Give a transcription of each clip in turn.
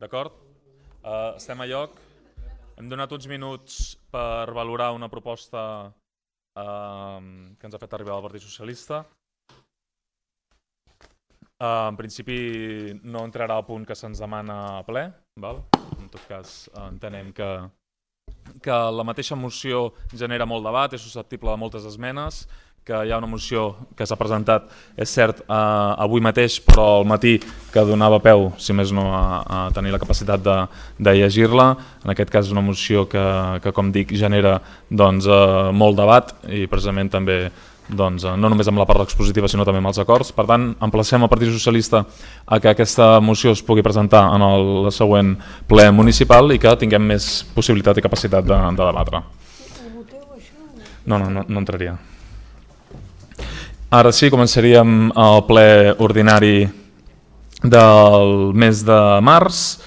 D'acord? Estem a lloc. Hem donat uns minuts per valorar una proposta que ens ha fet arribar el Partit Socialista. En principi no entrarà al punt que se'ns demana a ple. En tot cas, entenem que la mateixa moció genera molt debat, és susceptible de moltes esmenes, que hi ha una moció que s'ha presentat, és cert, avui mateix, però al matí, que donava peu, si més no, a tenir la capacitat de llegir-la. En aquest cas és una moció que com dic, genera molt debat i precisament també no només amb la part expositiva sinó també amb els acords. Per tant, emplacem el Partit Socialista a que aquesta moció es pugui presentar en el següent ple municipal i que tinguem més possibilitat i capacitat de debatre. No entraria. Ara sí, començaríem el ple ordinari del mes de març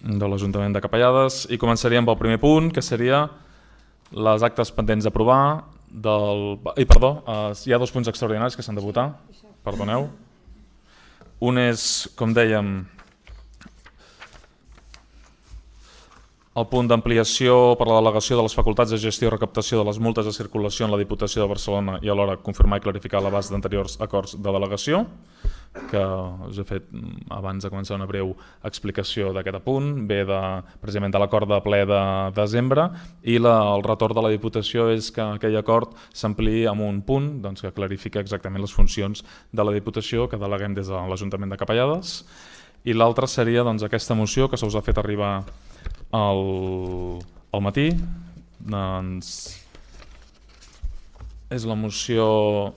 de l'Ajuntament de Capellades i començaríem pel primer punt, que seria les actes pendents d'aprovar perdó, hi ha dos punts extraordinaris que s'han de votar, perdoneu. Un és, com dèiem, el punt d'ampliació per la delegació de les facultats de gestió i recaptació de les multes de circulació en la Diputació de Barcelona i alhora confirmar i clarificar l'abast d'anteriors acords de delegació, que us he fet abans de començar una breu explicació d'aquest punt, ve precisament de l'acord de ple de desembre, i el retorn de la Diputació és que aquell acord s'ampliï amb un punt que clarifica exactament les funcions de la Diputació que deleguem des de l'Ajuntament de Capellades. I l'altra seria aquesta moció que se us ha fet arribar al matí. És la moció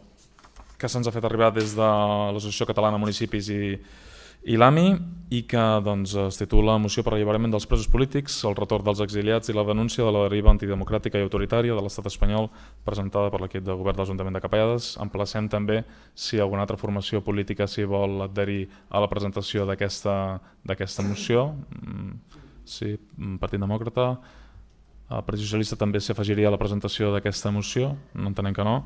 que se'ns ha fet arribar des de l'Associació Catalana de Municipis i l'AMI i que es titula Moció per l'alliberament dels presos polítics, el retorn dels exiliats i la denúncia de la deriva antidemocràtica i autoritària de l'estat espanyol, presentada per l'equip de govern de l'Ajuntament de Capellades. Emplacem també si alguna altra formació política s'hi vol adherir a la presentació d'aquesta moció. Sí, Partit Demòcrata. El Partit Socialista també s'afegiria a la presentació d'aquesta moció, no entenem que no.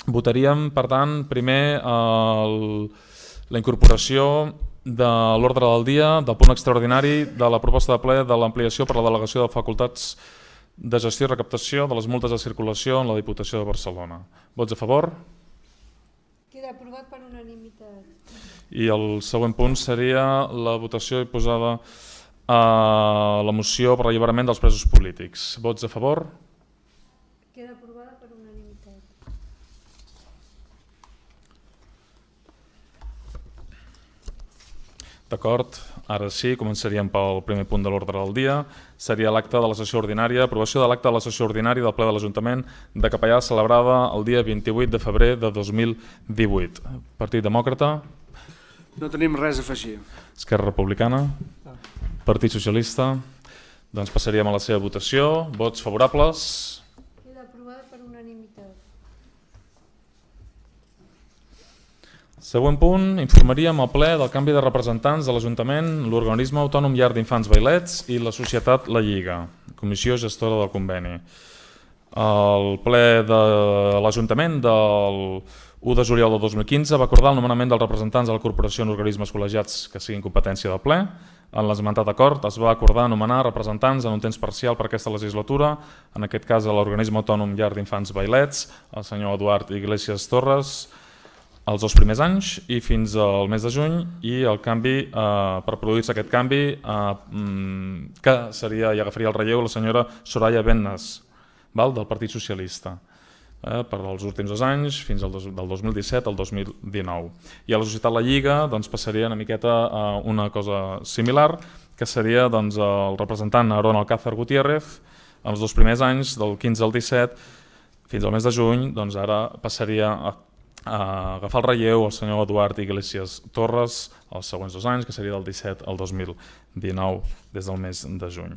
Votaríem, per tant, primer la incorporació de l'ordre del dia del punt extraordinari de la proposta de ple de l'ampliació per la delegació de facultats de gestió i recaptació de les multes de circulació en la Diputació de Barcelona. Vots a favor? Queda aprovat per unanimitat. I el següent punt seria la votació i posada a la moció per l'alliberament dels presos polítics. Vots a favor? Queda aprovada per unanimitat. D'acord, ara sí, començaríem pel primer punt de l'ordre del dia. Seria l'acte de la sessió ordinària, aprovació de l'acte de la sessió ordinària del ple de l'Ajuntament de Capellades celebrada el dia 28 de febrer de 2018. Partit Demòcrata? No tenim res a afegir. Esquerra Republicana? Partit Socialista? Doncs passaríem a la seva votació. Vots favorables? Queda aprovada per unanimitat. Següent punt, informaríem al ple del canvi de representants de l'Ajuntament, l'Organisme Autònom Llar d'Infants Vailets i la Societat La Lliga, comissió gestora del conveni. El ple de l'Ajuntament del 1 de juliol del 2015 va acordar el nomenament dels representants de la corporació en organismes col·legiats que siguin competència del ple. En l'esmentat acord es va acordar nomenar representants en un temps parcial per aquesta legislatura, en aquest cas a l'Organisme Autònom Llar d'Infants Vailets, el senyor Eduard Iglesias Torres, els 2 primers anys i fins al mes de juny, i el canvi, per produir-se aquest canvi, que seria i agafaria el relleu la senyora Soraya Bennas, del Partit Socialista, per als últims 2 anys, fins del 2017 al 2019. I a la Societat La Lliga passaria una miqueta a una cosa similar, que seria el representant Aarón Alcázar Gutiérrez, els 2 primers anys, del 15 al 17, fins al mes de juny, ara passaria a agafar el relleu el senyor Eduard Iglesias Torres els següents 2 anys, que seria del 17 al 2019, des del mes de juny.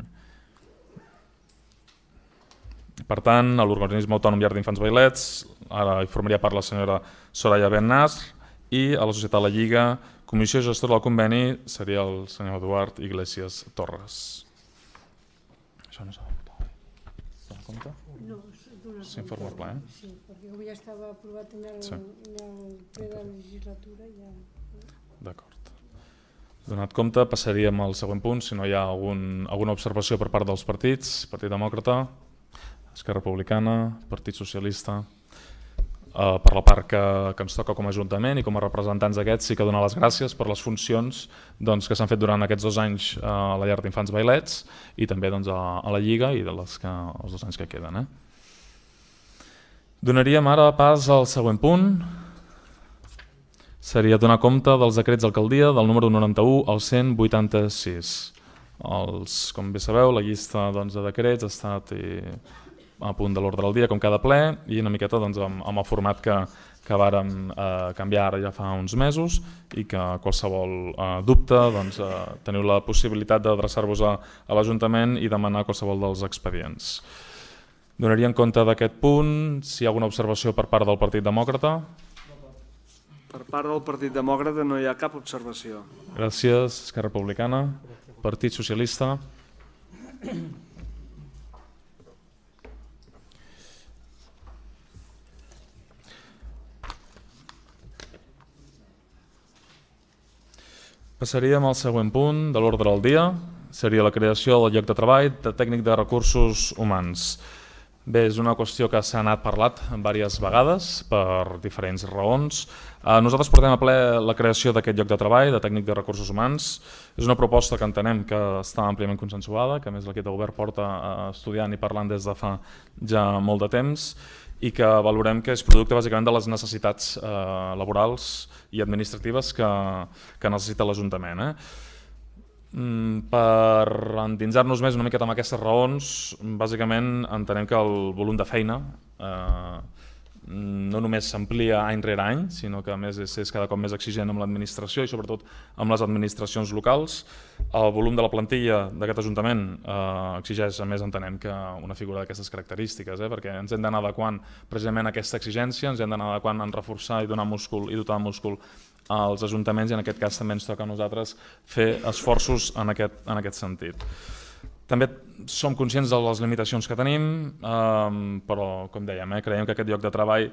Per tant, a l'Organisme Autònom Llar d'Infants Vailets ara hi formaria part la senyora Soraya Bennas, i a la Societat La Lliga, comissió gestora del conveni, seria el senyor Eduard Iglesias Torres. Això no s'ha de votar. S'ha de compte? No, s'informa el ple. Sí, perquè avui ja estava aprovat en el ple de la legislatura. D'acord. Donat compte, passaríem al següent punt, si no hi ha alguna observació per part dels partits. Partit Demòcrata, Esquerra Republicana, Partit Socialista. Per la part que ens toca com a Ajuntament i com a representants d'aquests, sí que donar les gràcies per les funcions que s'han fet durant aquests 2 anys a la llar d'infants Vailets i també a la Lliga i els 2 anys que queden. Donaríem ara pas al següent punt. Seria donar compte dels decrets d'alcaldia del número 91 al 186. Com bé sabeu, la llista de decrets ha estat a punt de l'ordre del dia, com cada ple, i una miqueta amb el format que vàrem canviar ara ja fa uns mesos i que qualsevol dubte teniu la possibilitat d'adreçar-vos a l'Ajuntament i demanar qualsevol dels expedients. Donaríem compte d'aquest punt, si hi ha alguna observació per part del Partit Demòcrata. Per part del Partit Demòcrata no hi ha cap observació. Gràcies. Esquerra Republicana. Partit Socialista. Passaríem al següent punt de l'ordre del dia. Seria la creació del lloc de treball de tècnic de recursos humans. Bé, és una qüestió que s'ha anat parlat diverses vegades per diferents raons. Nosaltres portem a ple la creació d'aquest lloc de treball de tècnic de recursos humans. És una proposta que entenem que està àmpliament consensuada, que a més l'equip de govern porta estudiant i parlant des de fa ja molt de temps i que valorem que és producte bàsicament de les necessitats laborals i administratives que necessita l'Ajuntament. Per endinsar-nos més una miqueta amb aquestes raons, bàsicament entenem que el volum de feina no només s'amplia any rere any, sinó que a més és cada cop més exigent amb l'administració i sobretot amb les administracions locals. El volum de la plantilla d'aquest Ajuntament exigeix, a més entenem que una figura d'aquestes característiques, perquè ens hem d'anar adequant precisament a aquesta exigència, ens hem d'anar adequant en reforçar i donar múscul i dotar de múscul als ajuntaments i en aquest cas també ens toca a nosaltres fer esforços en aquest sentit. També som conscients de les limitacions que tenim, però com dèiem, creiem que aquest lloc de treball,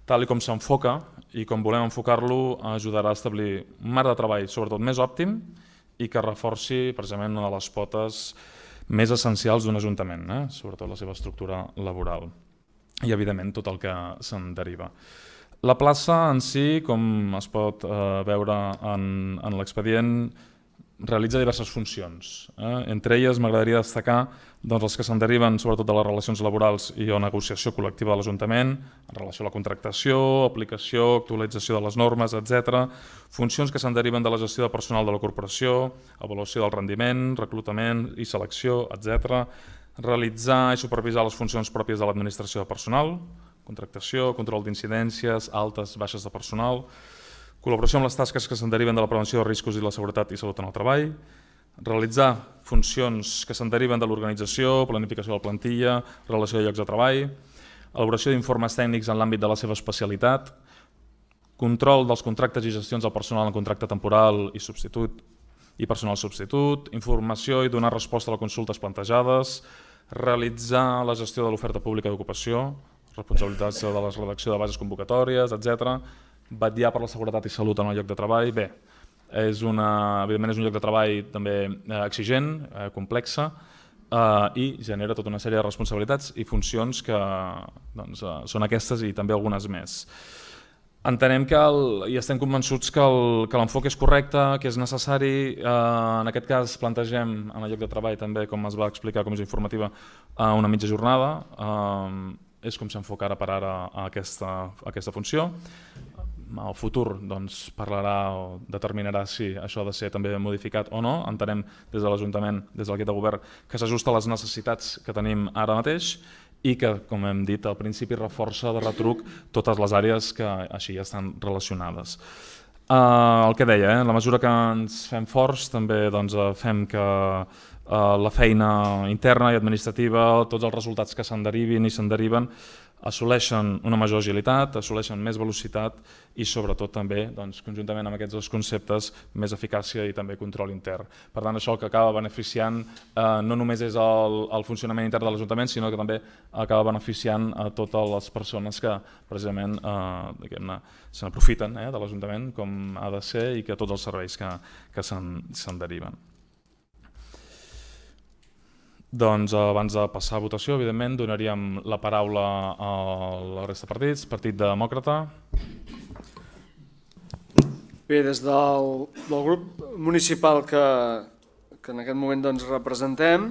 tal com s'enfoca i com volem enfocar-lo, ajudarà a establir un marc de treball sobretot més òptim i que reforci precisament una de les potes més essencials d'un ajuntament, sobretot la seva estructura laboral i evidentment tot el que se'n deriva. La plaça en si, com es pot veure en l'expedient, realitza diverses funcions. Entre elles m'agradaria destacar els que se'n deriven sobretot de les relacions laborals i la negociació col·lectiva de l'Ajuntament, en relació a la contractació, aplicació, actualització de les normes, etc. Funcions que se'n deriven de la gestió de personal de la corporació, avaluació del rendiment, reclutament i selecció, etc. Realitzar i supervisar les funcions pròpies de l'administració de personal, contractació, control d'incidències, altes, baixes de personal, col·laboració amb les tasques que se'n deriven de la prevenció de riscos i la seguretat i salut en el treball, realitzar funcions que se'n deriven de l'organització, planificació de la plantilla, relació de llocs de treball, elaboració d'informes tècnics en l'àmbit de la seva especialitat, control dels contractes i gestions del personal en contracte temporal i substitut i personal substitut, informació i donar resposta a les consultes plantejades, realitzar la gestió de l'oferta pública d'ocupació, responsabilitats de la redacció de bases convocatòries, etc. Vetllar per la seguretat i salut en el lloc de treball. Bé, evidentment és un lloc de treball també exigent, complexa i genera tota una sèrie de responsabilitats i funcions que són aquestes i també algunes més. Entenem i estem convençuts que l'enfoc és correcte, que és necessari. En aquest cas plantegem en el lloc de treball també, com es va explicar a comissió informativa, una mitja jornada. És com s'enfoca ara per ara aquesta funció. El futur parlarà o determinarà si això ha de ser també modificat o no. Entenem des de l'Ajuntament, des de l'equip de govern, que s'ajusta a les necessitats que tenim ara mateix i que, com hem dit al principi, reforça de retruc totes les àrees que així ja estan relacionades. El que deia, en la mesura que ens fem forts també fem que la feina interna i administrativa, tots els resultats que se'n derivin i se'n deriven, assoleixen una major agilitat, assoleixen més velocitat i sobretot també, conjuntament amb aquests dos conceptes, més eficàcia i també control intern. Per tant, això el que acaba beneficiant no només és el funcionament intern de l'Ajuntament, sinó que també acaba beneficiant a totes les persones que precisament se n'aprofiten de l'Ajuntament com ha de ser i que tots els serveis que se'n deriven. Doncs abans de passar a votació, evidentment, donaríem la paraula a la resta de partits. Partit Demòcrata. Bé, des del grup municipal que en aquest moment representem,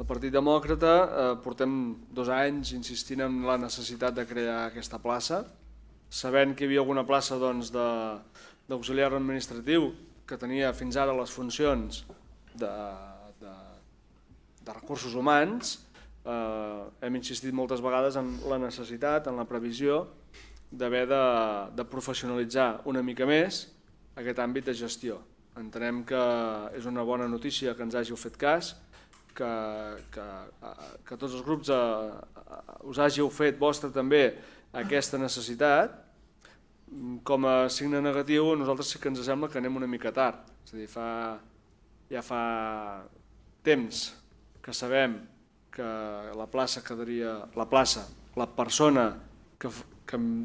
el Partit Demòcrata, portem 2 anys insistint en la necessitat de crear aquesta plaça, sabent que hi havia alguna plaça d'auxiliar administratiu que tenia fins ara les funcions de recursos humans. Hem insistit moltes vegades en la necessitat, en la previsió d'haver de professionalitzar una mica més aquest àmbit de gestió. Entenem que és una bona notícia que ens hàgiu fet cas, que tots els grups us hàgiu fet vostra també aquesta necessitat. Com a signe negatiu, a nosaltres sí que ens sembla que anem una mica tard. És a dir, ja fa temps que sabem que la persona que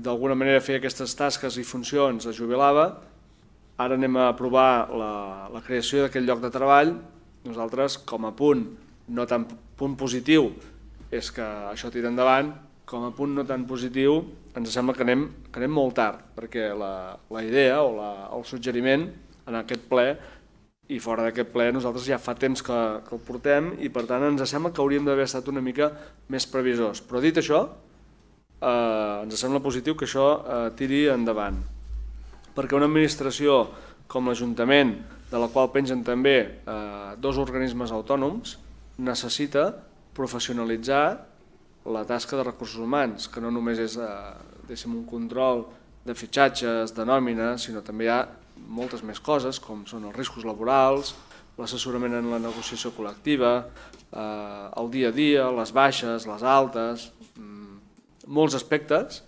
d'alguna manera feia aquestes tasques i funcions es jubilava. Ara anem a aprovar la creació d'aquest lloc de treball. Nosaltres, com a punt, no tan punt positiu, és que això tira endavant, com a punt no tan positiu, ens sembla que anem molt tard, perquè la idea o el suggeriment en aquest ple i fora d'aquest ple nosaltres ja fa temps que el portem i per tant ens sembla que hauríem d'haver estat una mica més previsors. Però dit això, ens sembla positiu que això tiri endavant, perquè una administració com l'Ajuntament, de la qual pengen també 2 organismes autònoms, necessita professionalitzar la tasca de recursos humans, que no només és un control de fitxatges, de nòmina, sinó també hi ha moltes més coses, com són els riscos laborals, l'assessorament en la negociació col·lectiva, el dia a dia, les baixes, les altes, molts aspectes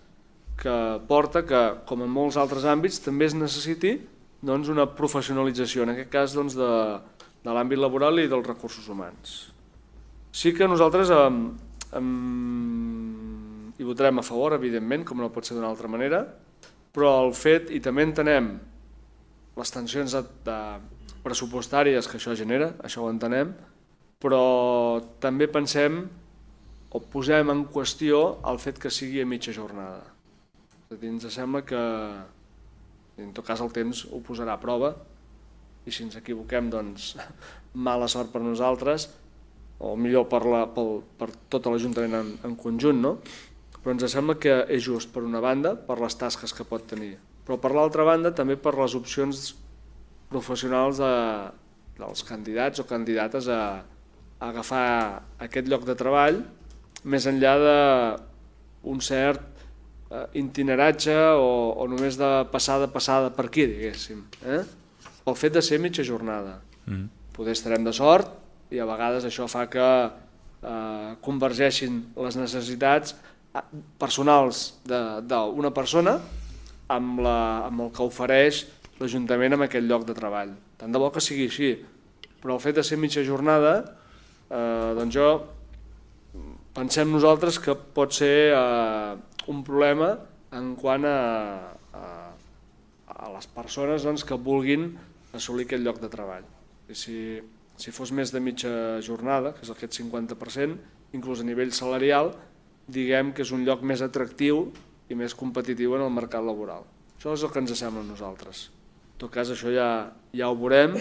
que porta que, com en molts altres àmbits, també es necessiti una professionalització, en aquest cas de l'àmbit laboral i dels recursos humans. Sí que nosaltres hi votarem a favor, evidentment, com no pot ser d'una altra manera, però el fet, i també entenem les tensions pressupostàries que això genera, això ho entenem, però també pensem o posem en qüestió el fet que sigui a mitja jornada. És a dir, ens sembla que en tot cas el temps ho posarà a prova i si ens equivoquem, doncs mala sort per nosaltres, o millor per tot l'Ajuntament en conjunt, no? Però ens sembla que és just, per una banda, per les tasques que pot tenir, però per l'altra banda també per les opcions professionals dels candidats o candidates a agafar aquest lloc de treball, més enllà d'un cert itineratge o només de passada per aquí, diguéssim. El fet de ser mitja jornada. Poder estarem de sort i a vegades això fa que convergeixin les necessitats personals d'una persona amb el que ofereix l'Ajuntament amb aquest lloc de treball. Tant de bo que sigui així, però el fet de ser mitja jornada, doncs pensem nosaltres que pot ser un problema en quant a les persones que vulguin assolir aquest lloc de treball. Si fos més de mitja jornada, que és aquest 50%, inclús a nivell salarial, diguem que és un lloc més atractiu i més competitiu en el mercat laboral. Això és el que ens sembla a nosaltres. En tot cas, això ja ho veurem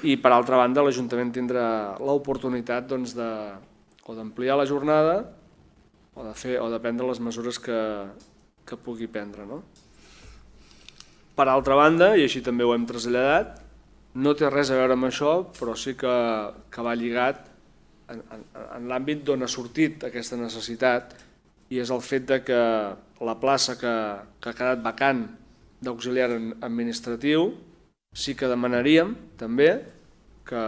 i, per altra banda, l'Ajuntament tindrà l'oportunitat o d'ampliar la jornada o de prendre les mesures que pugui prendre. Per altra banda, i així també ho hem traslladat, no té res a veure amb això, però sí que va lligat en l'àmbit d'on ha sortit aquesta necessitat i és el fet que la plaça que ha quedat vacant d'auxiliar administratiu sí que demanaríem també que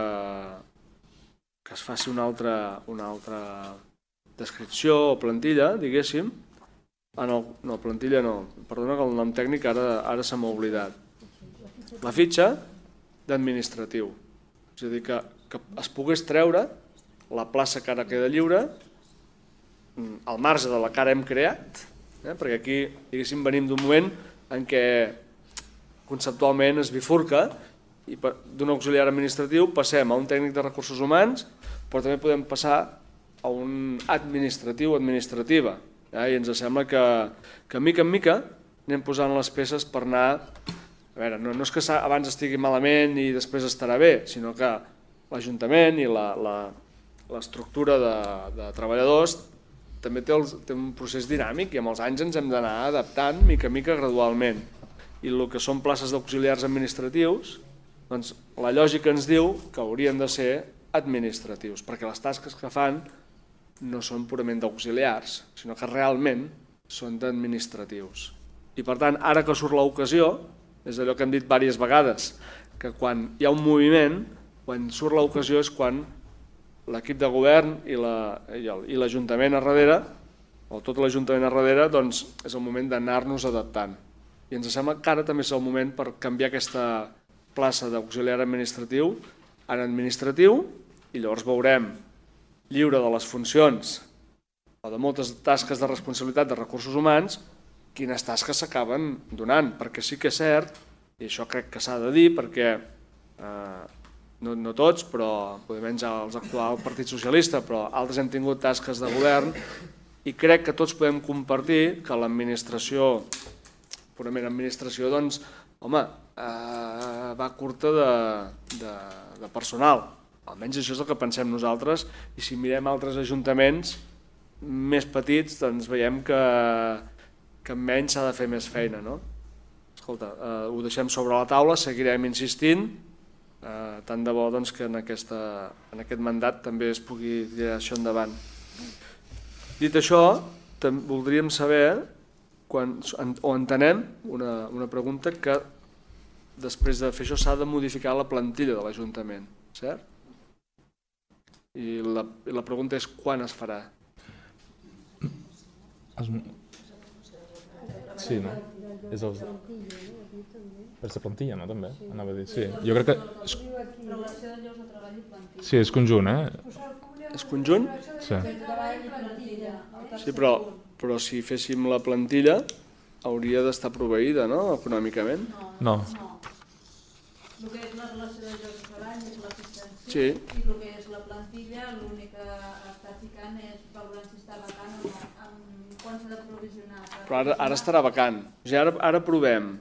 es faci una altra descripció o plantilla, diguéssim, No, plantilla no. Perdona que el nom tècnic ara se m'ha oblidat. La fitxa d'administratiu. És a dir, que es pogués treure la plaça que ara queda lliure al marge de la que ara hem creat, perquè aquí, diguéssim, venim d'un moment en què conceptualment es bifurca i d'un auxiliar administratiu passem a un tècnic de recursos humans, però també podem passar a un administratiu o administrativa. I ens sembla que mica en mica anem posant les peces per anar... A veure, no és que abans estigui malament i després estarà bé, sinó que l'Ajuntament i l'estructura de treballadors també té un procés dinàmic i amb els anys ens hem d'anar adaptant mica en mica gradualment. I el que són places d'auxiliars administratius, doncs la lògica ens diu que haurien de ser administratius, perquè les tasques que fan no són purament d'auxiliars, sinó que realment són d'administratius. I per tant, ara que surt l'ocasió, és allò que hem dit diverses vegades, que quan hi ha un moviment, quan surt l'ocasió és quan l'equip de govern i l'Ajuntament a darrere, o tot l'Ajuntament a darrere, doncs és el moment d'anar-nos adaptant. I ens sembla que ara també és el moment per canviar aquesta plaça d'auxiliar administratiu en administratiu i llavors veurem lliure de les funcions o de moltes tasques de responsabilitat de recursos humans quines tasques s'acaben donant, perquè sí que és cert, i això crec que s'ha de dir, perquè no tots, però menys els actuals Partit Socialista, però altres hem tingut tasques de govern i crec que tots podem compartir que l'administració, purament administració, doncs, home, va curta de personal. Almenys això és el que pensem nosaltres i si mirem altres ajuntaments més petits, doncs veiem que menys s'ha de fer més feina, no? Escolta, ho deixem sobre la taula, seguirem insistint, tant de bo que en aquest mandat també es pugui tirar això endavant. Dit això, voldríem saber, o entenem, una pregunta, que després de fer això s'ha de modificar la plantilla de l'Ajuntament, cert? I la pregunta és quan es farà? Sí, no? És el... Per ser plantilla, no? També, anava a dir. Sí, jo crec que... Relació de llocs de treball i plantilla. Sí, és conjunt, És conjunt? Sí. Sí, però si féssim la plantilla hauria d'estar proveïda, no?, econòmicament. No. El que és la relació de llocs de treball és la fitxa en Sí. I el que és la plantilla, l'únic que està ficant és valorant si està vacant o no, quan s'ha de provisionar. Però ara estarà vacant. O sigui, ara provem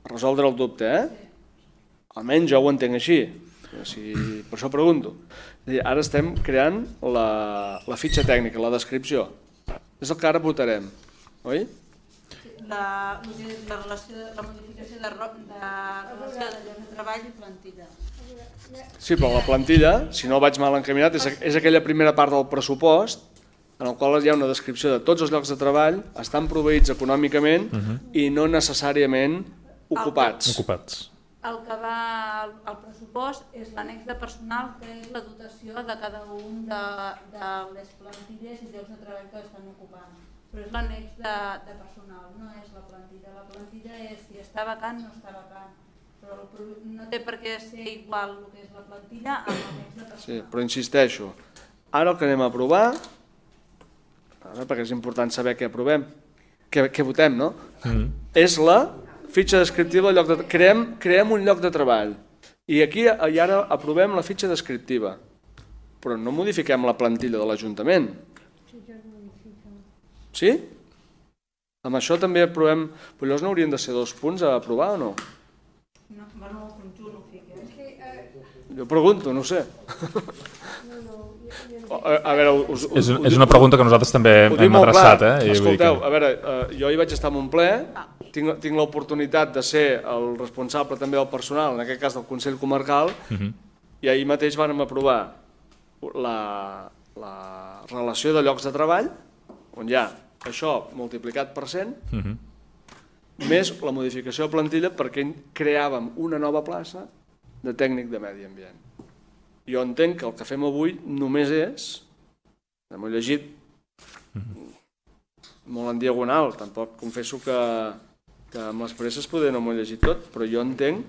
resoldre el dubte, Almenys jo ho entenc així. Per això pregunto. Ara estem creant la fitxa tècnica, la descripció. És el que ara votarem, oi? La modificació de relació de llocs de treball i plantilla. Sí, però la plantilla, si no vaig mal encaminat, és aquella primera part del pressupost en el qual hi ha una descripció de tots els llocs de treball, estan proveïts econòmicament i no necessàriament ocupats. El que va al pressupost és l'annex de personal, que és la dotació de cada un de les plantilles i llocs de treball que estan ocupant. Però és l'annex de personal, no és la plantilla. La plantilla és si està vacant o no està vacant. Però no té per què ser igual el que és la plantilla amb l'annex de personal. Sí, però insisteixo, ara el que anem a aprovar, perquè és important saber què aprovem, què votem, no? És la fitxa descriptiva del lloc de treball. Creem un lloc de treball i aquí i ara aprovem la fitxa descriptiva, però no modifiquem la plantilla de l'Ajuntament. Sí? Amb això també aprovem... Però llavors no haurien de ser 2 punts a aprovar o no? No, bueno, el conjunt ho fica. Jo pregunto, no ho sé. A veure, és una pregunta que nosaltres també hem adreçat. Escolteu, a veure, jo hi vaig estar en un ple, tinc l'oportunitat de ser el responsable també del personal, en aquest cas del Consell Comarcal, i ahir mateix vàrem aprovar la relació de llocs de treball, on hi ha això multiplicat per 100, més la modificació de plantilla perquè creàvem una nova plaça de tècnic de medi ambient. Jo entenc que el que fem avui només és, m'ho he llegit molt en diagonal, tampoc confesso que amb les presses poder no m'ho he llegit tot, però jo entenc...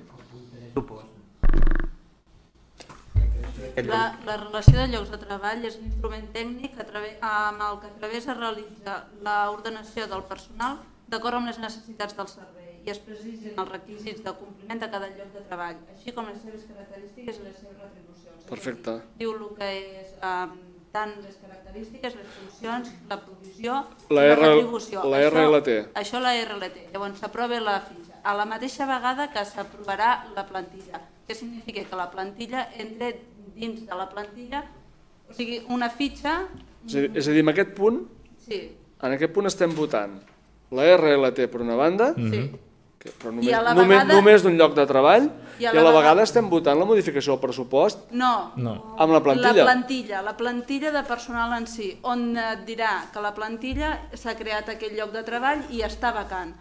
La relació de llocs de treball és un instrument tècnic amb el que a través es realitza l'ordenació del personal d'acord amb les necessitats del servei i es precisin els requisits de compliment de cada lloc de treball, així com les seves característiques i les seves retribucions. Perfecte. Diu el que és tant les característiques, les funcions, la provisió i la retribució. La RLT. Això la RLT. Llavors s'aprova la fitxa. A la mateixa vegada que s'aprovarà la plantilla. Què significa? Que la plantilla entre dins de la plantilla, o sigui, una fitxa... És a dir, en aquest punt, estem votant la RLT per una banda, però només d'un lloc de treball, i a la vegada estem votant la modificació del pressupost amb la plantilla. La plantilla de personal en si, on et dirà que la plantilla s'ha creat aquell lloc de treball i està vacant.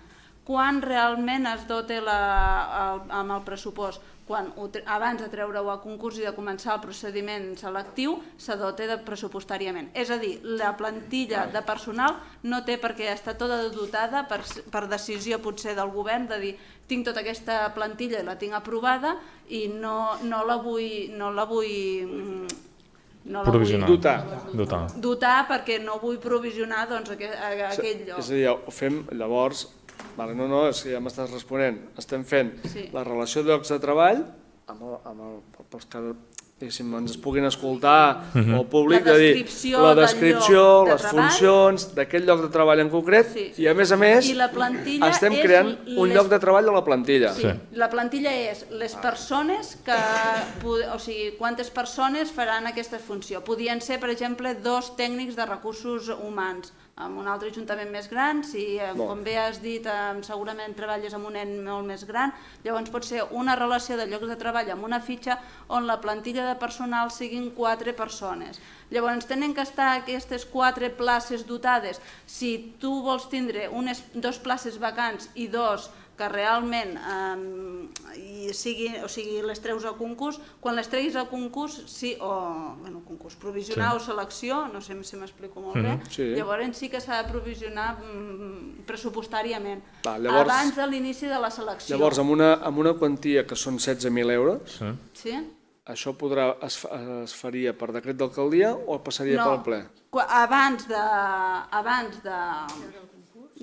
Quan realment es dota amb el pressupost? Quan abans de treure-ho a concurs i de començar el procediment selectiu s'ha dota pressupostàriament. És a dir, la plantilla de personal no té per què estar tota dotada per decisió potser del govern de dir tinc tota aquesta plantilla i la tinc aprovada i no la vull dotar perquè no vull provisionar aquell lloc. És a dir, ho fem llavors... No, és que ja m'estàs responent. Estem fent la relació de llocs de treball pels que ens es puguin escoltar o el públic, de dir la descripció, les funcions d'aquest lloc de treball en concret i a més estem creant un lloc de treball a la plantilla. La plantilla és les persones o sigui, quantes persones faran aquesta funció. Podien ser, per exemple, 2 tècnics de recursos humans en un altre ajuntament més gran, si com bé has dit segurament treballes en un ens molt més gran, llavors pot ser una relació de llocs de treball amb una fitxa on la plantilla de personal siguin 4 persones. Llavors tenen que estar aquestes 4 places dotades. Si tu vols tindre 2 places vacants i 2 que realment les treus a concurs, quan les treguis a concurs, concurs provisionar o selecció, no sé si m'explico molt bé, llavors sí que s'ha de provisionar pressupostàriament abans de l'inici de la selecció. Llavors, amb una quantia que són 16.000 euros, això es faria per decret d'alcaldia o passaria pel ple? Abans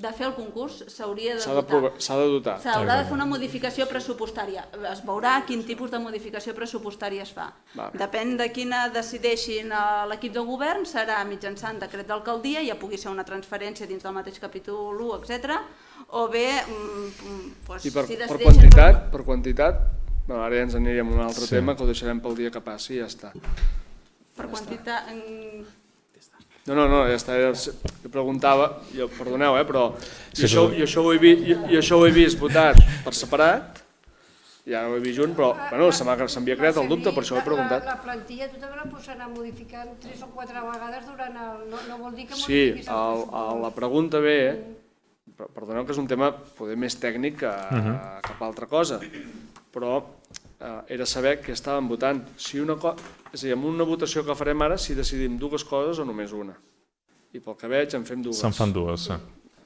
de fer el concurs s'hauria de dotar. S'ha de dotar. S'haurà de fer una modificació pressupostària. Es veurà quin tipus de modificació pressupostària es fa. Depèn de quina decideixin l'equip de govern, serà mitjançant decret d'alcaldia, ja pugui ser una transferència dins del mateix capítol 1, etc. O bé... I per quantitat, ara ja ens aniríem a un altre tema que ho deixarem pel dia que passi i ja està. Per quantitat... No, ja està, jo preguntava, perdoneu, però jo això ho he vist votat per separat, ja no ho he vist junt, però s'havia creat el dubte, per això ho he preguntat. La plantilla tu també la pots anar modificant 3 o 4 vegades durant el... no vol dir que modifiquis el pressupost. La pregunta ve, perdoneu que és un tema poder més tècnic que cap altra cosa, però era saber què estàvem votant. És a dir, amb una votació que farem ara, si decidim 2 coses o només una. I pel que veig en fem 2. Se'n fan 2, sí.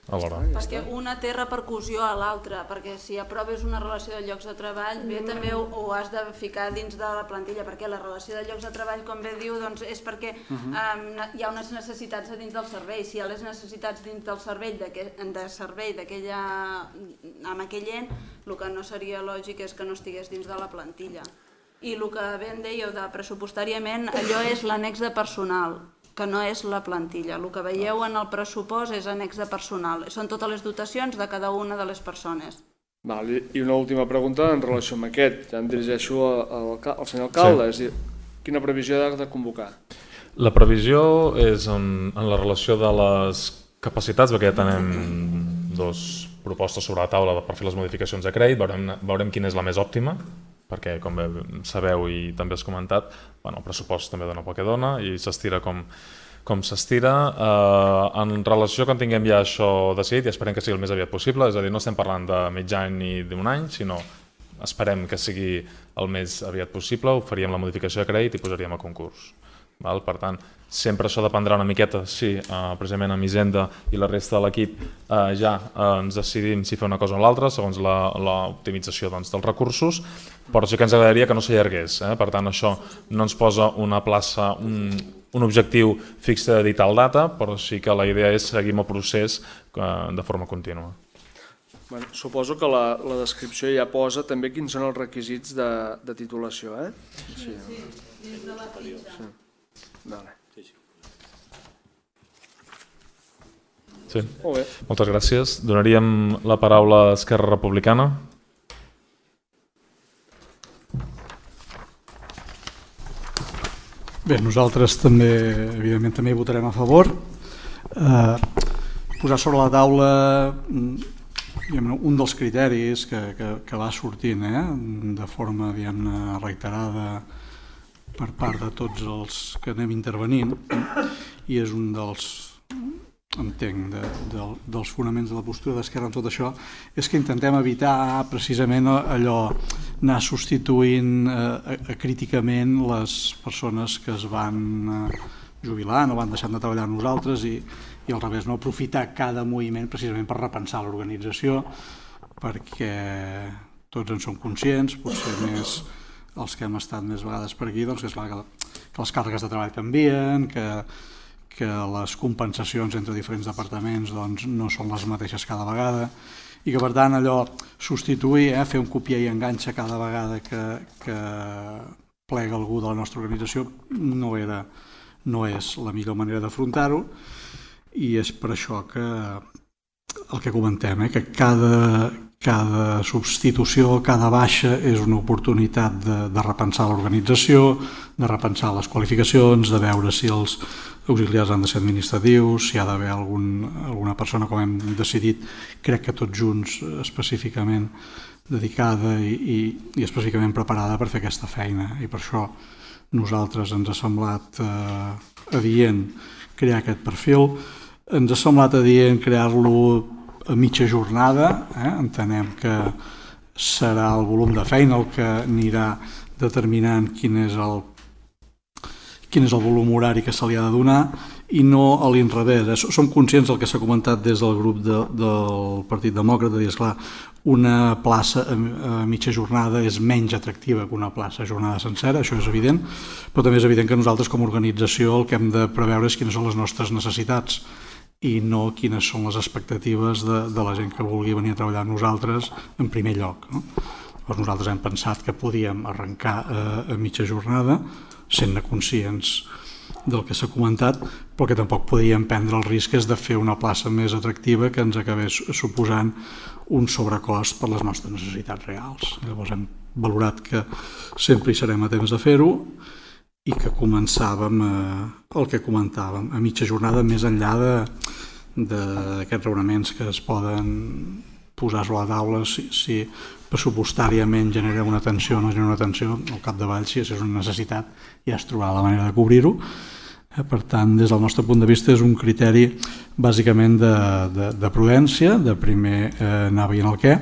Perquè una té repercussió a l'altra, perquè si aproves una relació de llocs de treball, bé també ho has de ficar dins de la plantilla, perquè la relació de llocs de treball, com bé diu, és perquè hi ha unes necessitats dins del servei. Si hi ha les necessitats dins del servei amb aquell ent, el que no seria lògic és que no estigués dins de la plantilla. I el que bé em dèieu de pressupostàriament, allò és l'annex de personal, que no és la plantilla. El que veieu en el pressupost és annex de personal. Són totes les dotacions de cada una de les persones. I una última pregunta en relació amb aquest. Ja em dirigeixo al senyor alcalde. És a dir, quina previsió ha de convocar? La previsió és en la relació de les capacitats, perquè ja tenim 2 propostes sobre la taula per fer les modificacions de crèdit, veurem quina és la més òptima, perquè com bé sabeu i també has comentat, el pressupost també dona pel que dona i s'estira com s'estira. En relació quan tinguem ja això decidit, i esperem que sigui el més aviat possible, és a dir, no estem parlant de mig any ni d'un any, sinó esperem que sigui el més aviat possible, ho faríem la modificació de crèdit i posaríem a concurs. Per tant, sempre això dependrà una miqueta si precisament amb Hisenda i la resta de l'equip ja ens decidim si fer una cosa o l'altra segons l'optimització dels recursos, però sí que ens agradaria que no s'allargués. Per tant, això no ens posa una plaça, un objectiu fix de dir tal data, però sí que la idea és seguir el procés de forma contínua. Suposo que la descripció ja posa també quins són els requisits de titulació, eh? Sí, des de la fitxa. Vale. Sí. Molt bé. Moltes gràcies. Donaríem la paraula a Esquerra Republicana. Bé, nosaltres també, evidentment, també hi votarem a favor. Posar sobre la taula un dels criteris que va sortint de forma reiterada per part de tots els que anem intervenint, i és un dels, entenc, dels fonaments de la postura d'Esquerra en tot això, és que intentem evitar precisament allò, anar substituint críticament les persones que es van jubilant o van deixant de treballar amb nosaltres i al revés, no aprofitar cada moviment precisament per repensar l'organització, perquè tots en som conscients, potser més els que hem estat més vegades per aquí, doncs que és clar que les càrregues de treball canvien, que les compensacions entre diferents departaments doncs, no són les mateixes cada vegada, i que per tant allò, substituir, fer un copiar i enganxa cada vegada que plega algú de la nostra organització no és la millor manera d'afrontar-ho, i és per això que el que comentem, que cada substitució, cada baixa és una oportunitat de repensar l'organització, de repensar les qualificacions, de veure si els auxiliars han de ser administratius, si hi ha d'haver alguna persona, com hem decidit, crec que tots junts específicament dedicada i específicament preparada per fer aquesta feina. I per això nosaltres ens ha semblat adient crear aquest perfil, ens ha semblat adient crear-lo a mitja jornada, entenem que serà el volum de feina el que anirà determinant quin és el volum horari que se li ha de donar i no a l'inrevés. Som conscients del que s'ha comentat des del grup del Partit Demòcrata, és clar, una plaça a mitja jornada és menys atractiva que una plaça a jornada sencera, això és evident, però també és evident que nosaltres com a organització el que hem de preveure és quines són les nostres necessitats i no quines són les expectatives de la gent que vulgui venir a treballar amb nosaltres en primer lloc. Llavors nosaltres hem pensat que podíem arrencar a mitja jornada, sent conscients del que s'ha comentat, però que tampoc podíem prendre el risc de fer una plaça més atractiva que ens acabés suposant un sobrecost per les nostres necessitats reals. Llavors hem valorat que sempre hi serem a temps de fer-ho i que començàvem el que comentàvem, a mitja jornada, més enllà d'aquests raonaments que es poden posar sobre la taula, si pressupostàriament genera una tensió o no genera una tensió, al capdavall, si és una necessitat, ja es trobarà la manera de cobrir-ho. Per tant, des del nostre punt de vista, és un criteri bàsicament de prudència, de primer anar veient el què,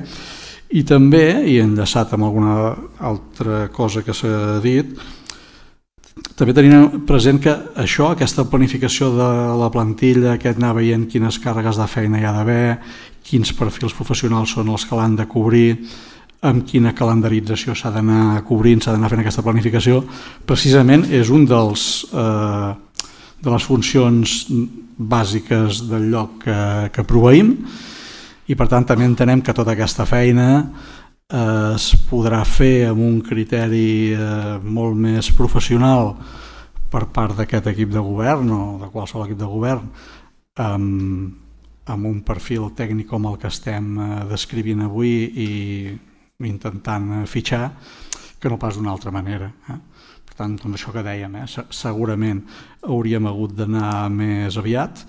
i també, i enllaçat amb alguna altra cosa que s'ha dit, també tenint present que això, aquesta planificació de la plantilla, aquest anar veient quines càrregues de feina hi ha d'haver, quins perfils professionals són els que l'han de cobrir, amb quina calendarització s'ha d'anar cobrint, s'ha d'anar fent aquesta planificació, precisament és un de les funcions bàsiques del lloc que proveïm, i per tant també entenem que tota aquesta feina es podrà fer amb un criteri molt més professional per part d'aquest equip de govern o de qualsevol equip de govern, amb un perfil tècnic com el que estem descrivint avui i intentant fitxar, que no pas d'una altra manera. Per tant, doncs això que dèiem, segurament hauríem hagut d'anar més aviat.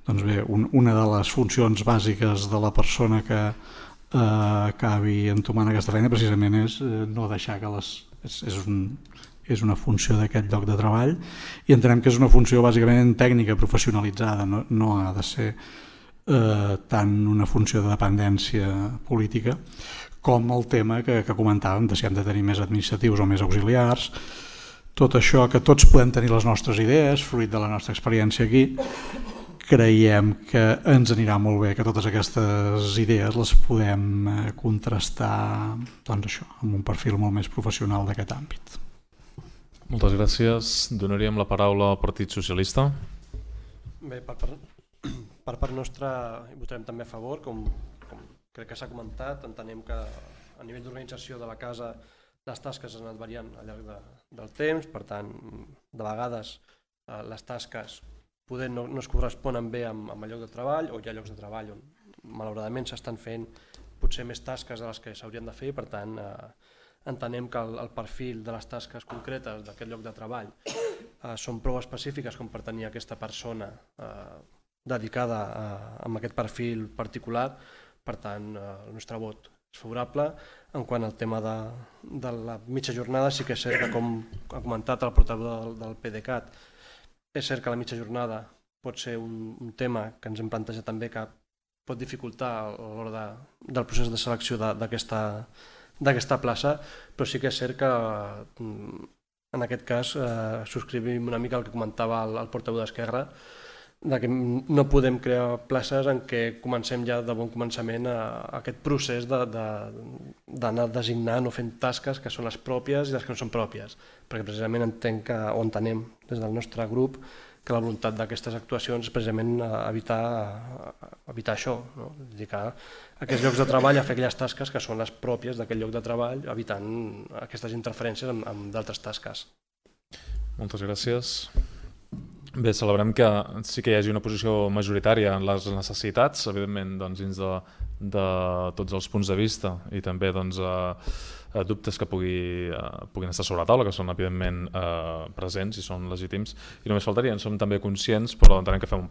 Doncs bé, una de les funcions bàsiques de la persona que acabi entomant aquesta feina precisament és no deixar que és una funció d'aquest lloc de treball, i entenem que és una funció bàsicament tècnica, professionalitzada, no ha de ser tant una funció de dependència política com el tema que comentàvem, de si hem de tenir més administratius o més auxiliars. tot això, que tots podem tenir les nostres idees, fruit de la nostra experiència aquí, creiem que ens anirà molt bé que totes aquestes idees les podem contrastar doncs això, amb un perfil molt més professional d'aquest àmbit. Moltes gràcies. Donaríem la paraula al Partit Socialista. Bé, per part nostra hi votarem també a favor, com crec que s'ha comentat. Entenem que a nivell d'organització de la casa les tasques han anat variant al llarg del temps, per tant, de vegades les tasques poder no es corresponen bé amb el lloc de treball, o hi ha llocs de treball on malauradament s'estan fent potser més tasques de les que s'haurien de fer, per tant entenem que el perfil de les tasques concretes d'aquest lloc de treball són prou específiques com per tenir aquesta persona dedicada a aquest perfil particular, per tant el nostre vot és favorable. En quant al tema de la mitja jornada, sí que és cert que, com ha comentat el portaveu del PDeCAT, és cert que la mitja jornada pot ser un tema que ens hem plantejat també que pot dificultar a l'hora del procés de selecció d'aquesta plaça, però sí que és cert que en aquest cas subscrivim una mica el que comentava el portaveu d'Esquerra, que no podem crear places en què comencem ja de bon començament aquest procés d'anar designant o fent tasques que són les pròpies i les que no són pròpies, perquè precisament entenem des del nostre grup que la voluntat d'aquestes actuacions és precisament evitar això, no? És dir, que aquests llocs de treball a fer aquelles tasques que són les pròpies d'aquest lloc de treball, evitant aquestes interferències amb d'altres tasques. Moltes gràcies. Bé, celebrem que sí que hi hagi una posició majoritària en les necessitats, evidentment dins de tots els punts de vista i també dubtes que puguin estar sobre la taula, que són evidentment presents i són legítims, i només faltaria, en som també conscients, però entenem que fem un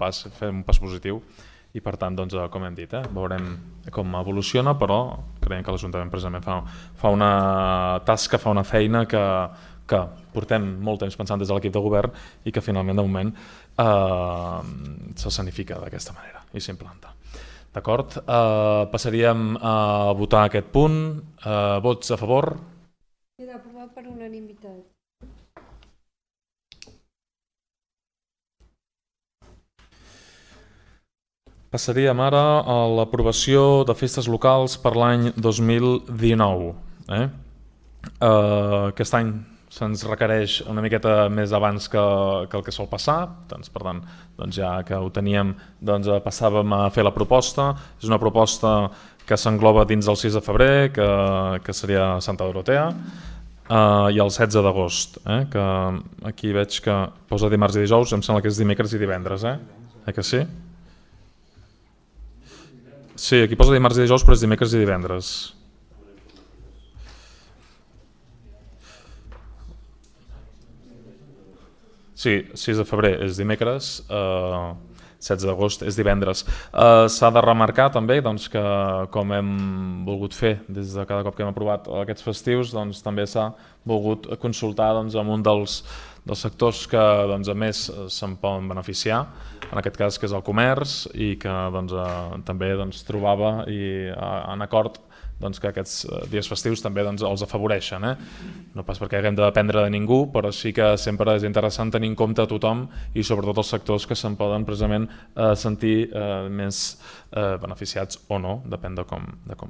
pas positiu i per tant, com hem dit, veurem com evoluciona, però creiem que l'Ajuntament precisament fa una tasca, fa una feina que portem molt temps pensant des de l'equip de govern i que finalment de moment s'escenifica d'aquesta manera i s'implanta. D'acord? Passaríem a votar aquest punt. Vots a favor? Queda aprovat per unanimitat. Passaríem ara a l'aprovació de festes locals per l'any 2019. Aquest any se'ns requereix una miqueta més abans que el que sol passar, per tant, ja que ho teníem, passàvem a fer la proposta. És una proposta que s'engloba dins del 6 de febrer, que seria Santa Dorotea, i el 16 d'agost, que aquí veig que posa dimarts i dijous, em sembla que és dimecres i divendres, que sí? Sí, aquí posa dimarts i dijous, però és dimecres i divendres. Sí, 6 de febrer és dimecres, 16 d'agost és divendres. S'ha de remarcar també que, com hem volgut fer des de cada cop que hem aprovat aquests festius, també s'ha volgut consultar amb un dels sectors que més se'n poden beneficiar, en aquest cas que és el comerç, i que també trobava en acord que aquests dies festius també els afavoreixen. No pas perquè haguem de dependre de ningú, però sí que sempre és interessant tenir en compte a tothom i sobretot els sectors que se'n poden precisament sentir més beneficiats o no, depèn de com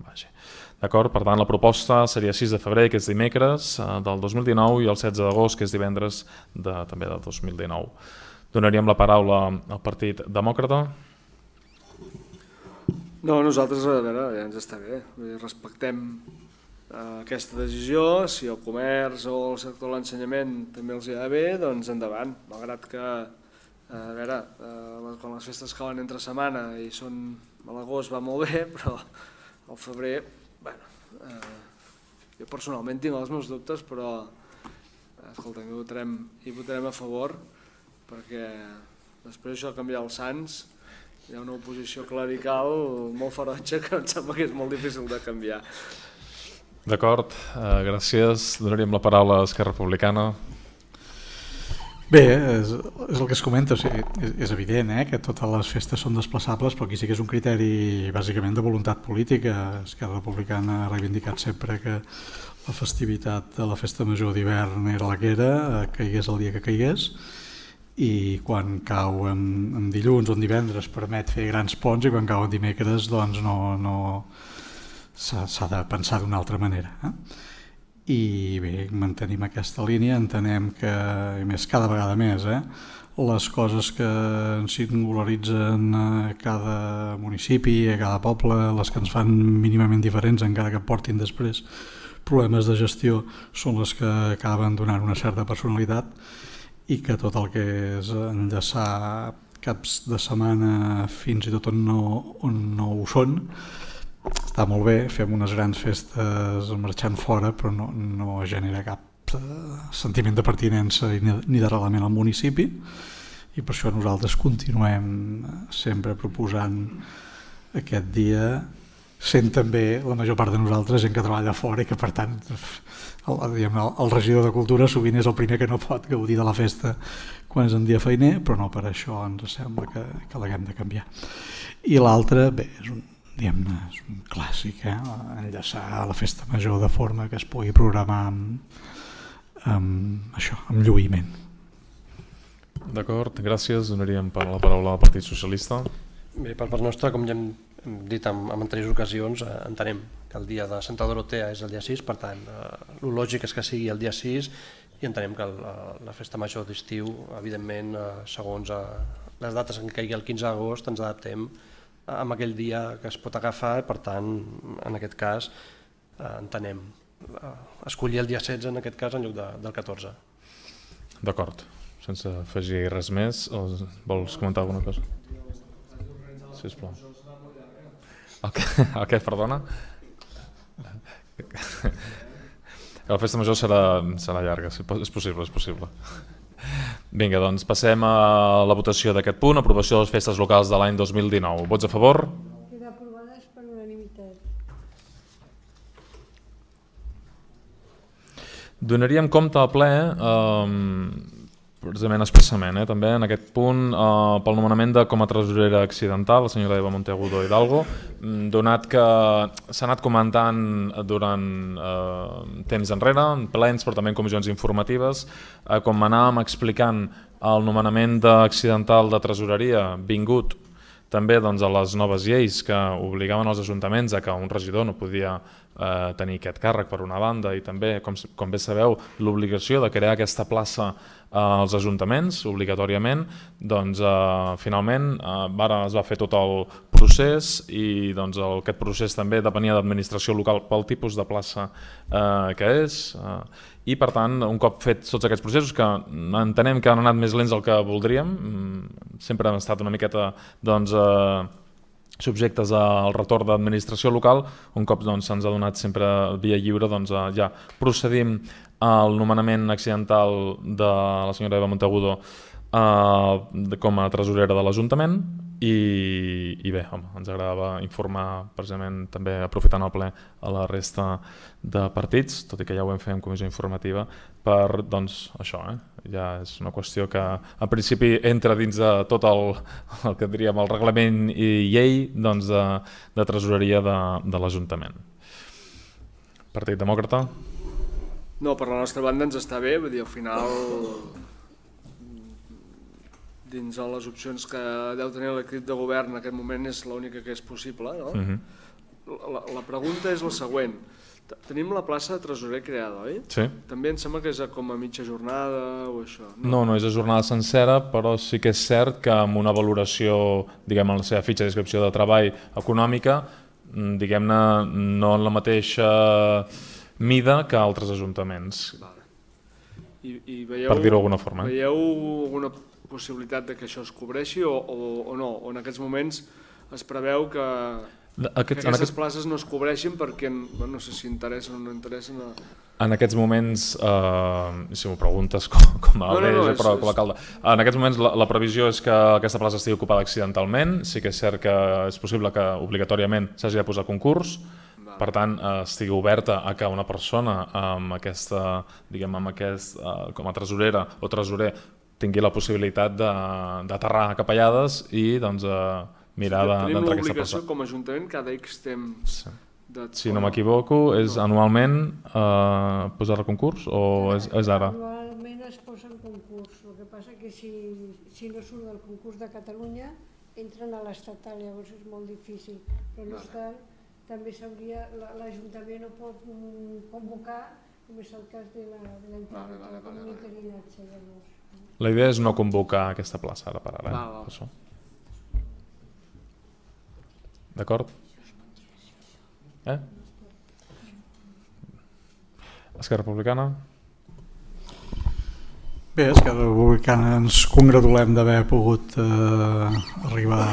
vagi. D'acord? Per tant, la proposta seria 6 de febrer, que és dimecres del 2019, i el 16 d'agost, que és divendres també del 2019. Donaríem la paraula al Partit Demòcrata. No, nosaltres, a veure, ja ens està bé. Respectem aquesta decisió. Si el comerç o el sector de l'ensenyament també els hi va bé, doncs endavant. Malgrat que, a veure, quan les festes cauen entre setmana i són a l'agost va molt bé, però al febrer, bueno, jo personalment tinc els meus dubtes, però escolta, hi votarem a favor, perquè després això de canviar els sants hi ha una oposició clerical molt ferotge que em sembla que és molt difícil de canviar. D'acord, gràcies. Donaríem la paraula a Esquerra Republicana. Bé, és el que es comenta, o sigui, és evident que totes les festes són desplaçables, però aquí sí que és un criteri bàsicament de voluntat política. Esquerra Republicana ha reivindicat sempre que la festivitat de la festa major d'hivern era la que era, caigués el dia que caigués, i quan cau en dilluns o en divendres permet fer grans ponts, i quan cau en dimecres doncs no s'ha de pensar d'una altra manera. I bé, mantenim aquesta línia, entenem que, a més, cada vegada més, les coses que ens singularitzen a cada municipi, a cada poble, les que ens fan mínimament diferents, encara que portin després problemes de gestió, són les que acaben donant una certa personalitat, i que tot el que és enllaçar caps de setmana fins i tot on no ho són, està molt bé, fem unes grans festes marxant fora, però no genera cap sentiment de pertinença ni d'arrelament al municipi, i per això nosaltres continuem sempre proposant aquest dia, sent també la major part de nosaltres gent que treballa fora i que per tant el regidor de Cultura sovint és el primer que no pot gaudir de la festa quan és en dia feiner, però no per això ens sembla que l'haguem de canviar. I l'altre, bé, és un clàssic, enllaçar la festa major de forma que es pugui programar amb lluïment. D'acord, gràcies. Donaríem la paraula al Partit Socialista. Bé, per part nostra, com ja hem dit en anteriors ocasions, entenem que el dia de Santa Dorotea és el dia 6, per tant, el lògic és que sigui el dia 6, i entenem que la festa major d'estiu, evidentment, segons les dates en què caigui el 15 d'agost, ens adaptem amb aquell dia que es pot agafar, per tant, en aquest cas, entenem escollir el dia 16 en aquest cas en lloc del 14. D'acord, sense afegir res més, vols comentar alguna cosa? Sisplau. El què, perdona? La festa major serà llarga, és possible. Vinga, doncs passem a la votació d'aquest punt, aprovació de les festes locals de l'any 2019. Vots a favor? Queda aprovades per unanimitat. Donaríem compte al ple, precisament expressament, també en aquest punt, pel nomenament de com a tresorera accidental, la senyora Eva Monteagudo Hidalgo, donat que s'ha anat comentant durant temps enrere, en plens, però també en comissions informatives, com anàvem explicant el nomenament d'accidental de tresoreria vingut també a les noves lleis que obligaven els ajuntaments a que un regidor no podia tenir aquest càrrec per una banda, i també, com bé sabeu, l'obligació de crear aquesta plaça als ajuntaments obligatòriament, doncs finalment es va fer tot el procés, i aquest procés també depenia d'administració local pel tipus de plaça que és, i per tant, un cop fet tots aquests processos, que entenem que han anat més lents del que voldríem, sempre hem estat una miqueta subjectes al retorn d'administració local, un cop se'ns ha donat sempre via lliure, ja procedim al nomenament accidental de la senyora Eva Monteagudo com a tresorera de l'Ajuntament, i bé, ens agradava informar precisament també aprofitant el ple a la resta de partits, tot i que ja ho vam fer en comissió informativa, per això, ja és una qüestió que en principi entra dins de tot el que diríem el reglament i llei de tresoreria de l'Ajuntament. Partit Demòcrata? No, per la nostra banda ens està bé, vull dir, al final, dins de les opcions que deu tenir l'equip de govern en aquest moment és l'única que és possible, no? La pregunta és la següent. Tenim la plaça de tresorer creada, oi? Sí. També em sembla que és com a mitja jornada o això. No, no és a jornada sencera, però sí que és cert que amb una valoració, diguem, en la seva fitxa de descripció de treball econòmica, diguem-ne, no en la mateixa mida que altres ajuntaments. Per dir-ho d'alguna forma. Veieu alguna possibilitat que això es cobreixi o no? O en aquests moments es preveu que aquestes places no es cobreixin perquè no sé si interessen o no interessen. En aquests moments, si m'ho preguntes com a alcalde, però com a alcalde, en aquests moments la previsió és que aquesta plaça estigui ocupada accidentalment. Sí que és cert que és possible que obligatòriament s'hagi de posar concurs, per tant estigui oberta a que una persona amb aquesta, diguem, com a tresorera o tresorer tingui la possibilitat d'aterrar a Capellades i doncs, mirar d'entrar aquesta plaça. Tenim l'obligació com a Ajuntament cada X temps. Si no m'equivoco, és anualment posar a concurs o és ara? Anualment es posa en concurs, el que passa que si no surt del concurs de Catalunya entren a l'estatal, llavors és molt difícil, però no obstant també l'Ajuntament ho pot convocar, com és el cas de la comunitariatge. La idea és no convocar aquesta plaça ara per ara. D'acord? Esquerra Republicana? Bé, Esquerra Republicana ens congratulem d'haver pogut arribar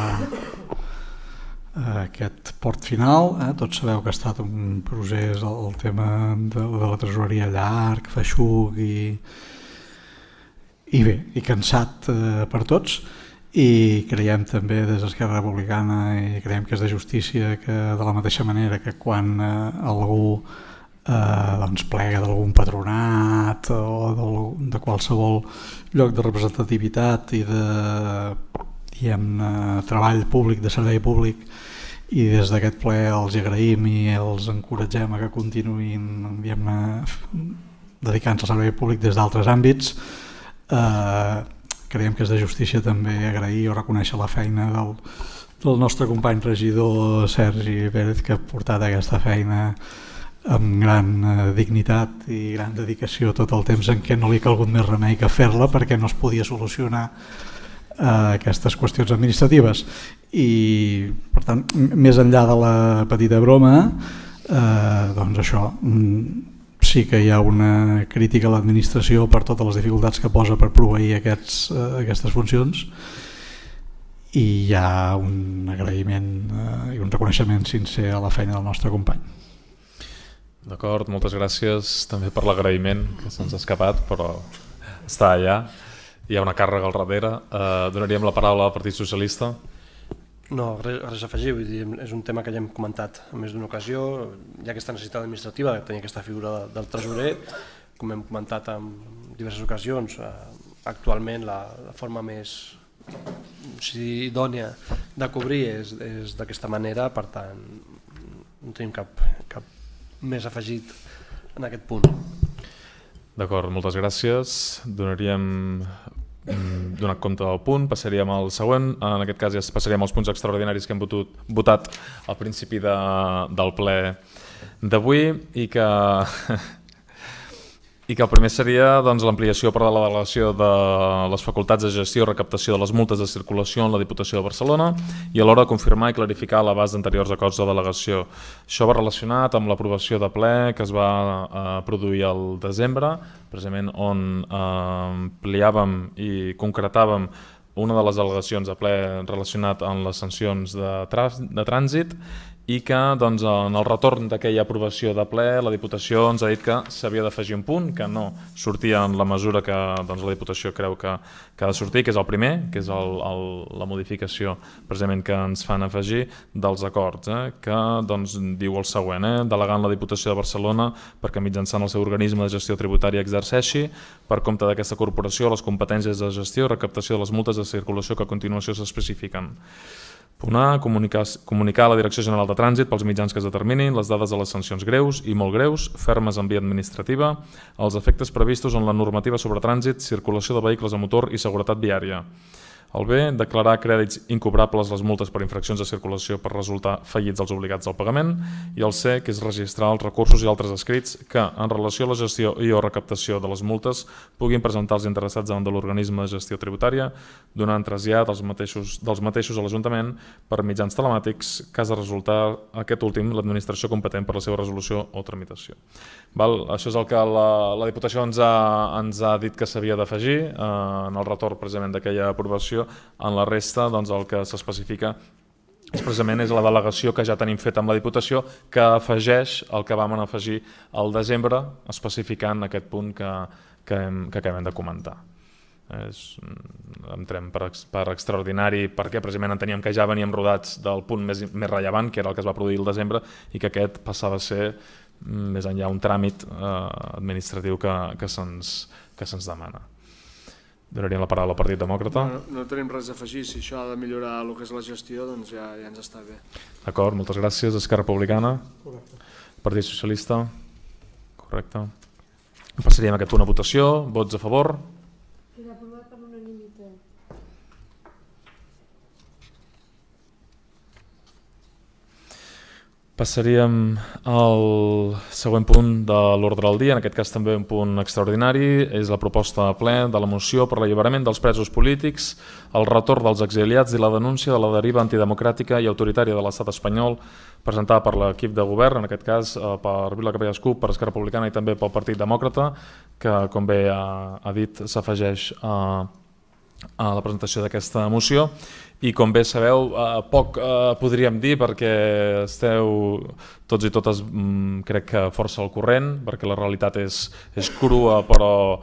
a aquest port final. Tots sabeu que ha estat un procés, el tema de la tresoreria llarg, feixuc i bé, i cansat per tots, i creiem també des d'Esquerra Republicana i creiem que és de justícia que de la mateixa manera que quan algú plega d'algun patronat o de qualsevol lloc de representativitat i de treball públic, de servei públic, i des d'aquest ple els agraïm i els encoratgem a que continuïn dedicant-se al servei públic des d'altres àmbits. Creiem que és de justícia també agrair o reconèixer la feina del nostre company regidor Sergi Pérez, que ha portat aquesta feina amb gran dignitat i gran dedicació tot el temps en què no li ha calgut més remei que fer-la perquè no es podia solucionar aquestes qüestions administratives. I per tant, més enllà de la petita broma, doncs això, sí que hi ha una crítica a l'administració per totes les dificultats que posa per proveir aquestes funcions, i hi ha un agraïment i un reconeixement sincer a la feina del nostre company. D'acord, moltes gràcies també per l'agraïment, que se'ns ha escapat, però està allà, hi ha una càrrega al darrere. Donaríem la paraula al Partit Socialista. No, res a afegir, vull dir, és un tema que ja hem comentat en més d'una ocasió. Hi ha aquesta necessitat administrativa de tenir aquesta figura del tresorer, com hem comentat en diverses ocasions. Actualment la forma més idònia de cobrir és d'aquesta manera, per tant no tenim cap més afegit en aquest punt. D'acord, moltes gràcies. Donat compte del punt, passaríem al següent. En aquest cas ja passaríem als punts extraordinaris que hem votat al principi del ple d'avui, i que el primer seria l'ampliació per la delegació de les facultats de gestió i recaptació de les multes de circulació en la Diputació de Barcelona, i alhora confirmar i clarificar l'abast d'anteriors acords de delegació. Això va relacionat amb l'aprovació de ple que es va produir al desembre, precisament on ampliàvem i concretàvem una de les delegacions de ple relacionat amb les sancions de trànsit, i que en el retorn d'aquella aprovació de ple la Diputació ens ha dit que s'havia d'afegir un punt que no sortia en la mesura que la Diputació creu que ha de sortir, que és el primer, que és la modificació precisament que ens fan afegir dels acords, que diu el següent: delegant la Diputació de Barcelona perquè mitjançant el seu organisme de gestió tributària exerceixi per compte d'aquesta corporació les competències de gestió i recaptació de les multes de circulació que a continuació s'especifiquen. Punt A, comunicar a la Direcció General de Trànsit pels mitjans que es determinin les dades de les sancions greus i molt greus, fermes en via administrativa, els efectes previstos en la normativa sobre trànsit, circulació de vehicles a motor i seguretat viària. El B, declarar crèdits incobrables les multes per infraccions de circulació per resultar fallits els obligats al pagament. I el C, que és registrar els recursos i altres escrits que, en relació a la gestió i o recaptació de les multes, puguin presentar els interessats davant de l'organisme de gestió tributària, donant trasllat dels mateixos a l'Ajuntament per mitjans telemàtics, cas de resultar aquest últim l'administració competent per la seva resolució o tramitació. Això és el que la Diputació ens ha dit que s'havia d'afegir en el retorn precisament d'aquella aprovació. En la resta el que s'especifica precisament és la delegació que ja tenim feta amb la Diputació, que afegeix el que vam afegir al desembre, especificant aquest punt que acabem de comentar. Entrem per extraordinari perquè precisament enteníem que ja veníem rodats del punt més rellevant, que era el que es va produir el desembre, i que aquest passava a ser més enllà un tràmit administratiu que se'ns demana. Donaríem la paraula al Partit Demòcrata. No tenim res a afegir, si això ha de millorar el que és la gestió, doncs ja ens està bé. D'acord, moltes gràcies. Esquerra Republicana? Correcte. Partit Socialista? Correcte. Passaríem aquest punt a votació. Vots a favor? Queda aprovat per unanimitat. Passaríem al següent punt de l'ordre del dia, en aquest cas també un punt extraordinari, és la proposta de ple de la moció per l'alliberament dels presos polítics, el retorn dels exiliats i la denúncia de la deriva antidemocràtica i autoritària de l'estat espanyol, presentada per l'equip de govern, en aquest cas per Vila Capelles CUP, per Esquerra Republicana i també pel Partit Demòcrata, que com bé ha dit s'afegeix a la presentació d'aquesta moció. I com bé sabeu, poc podríem dir perquè esteu tots i totes, crec que força al corrent, perquè la realitat és crua però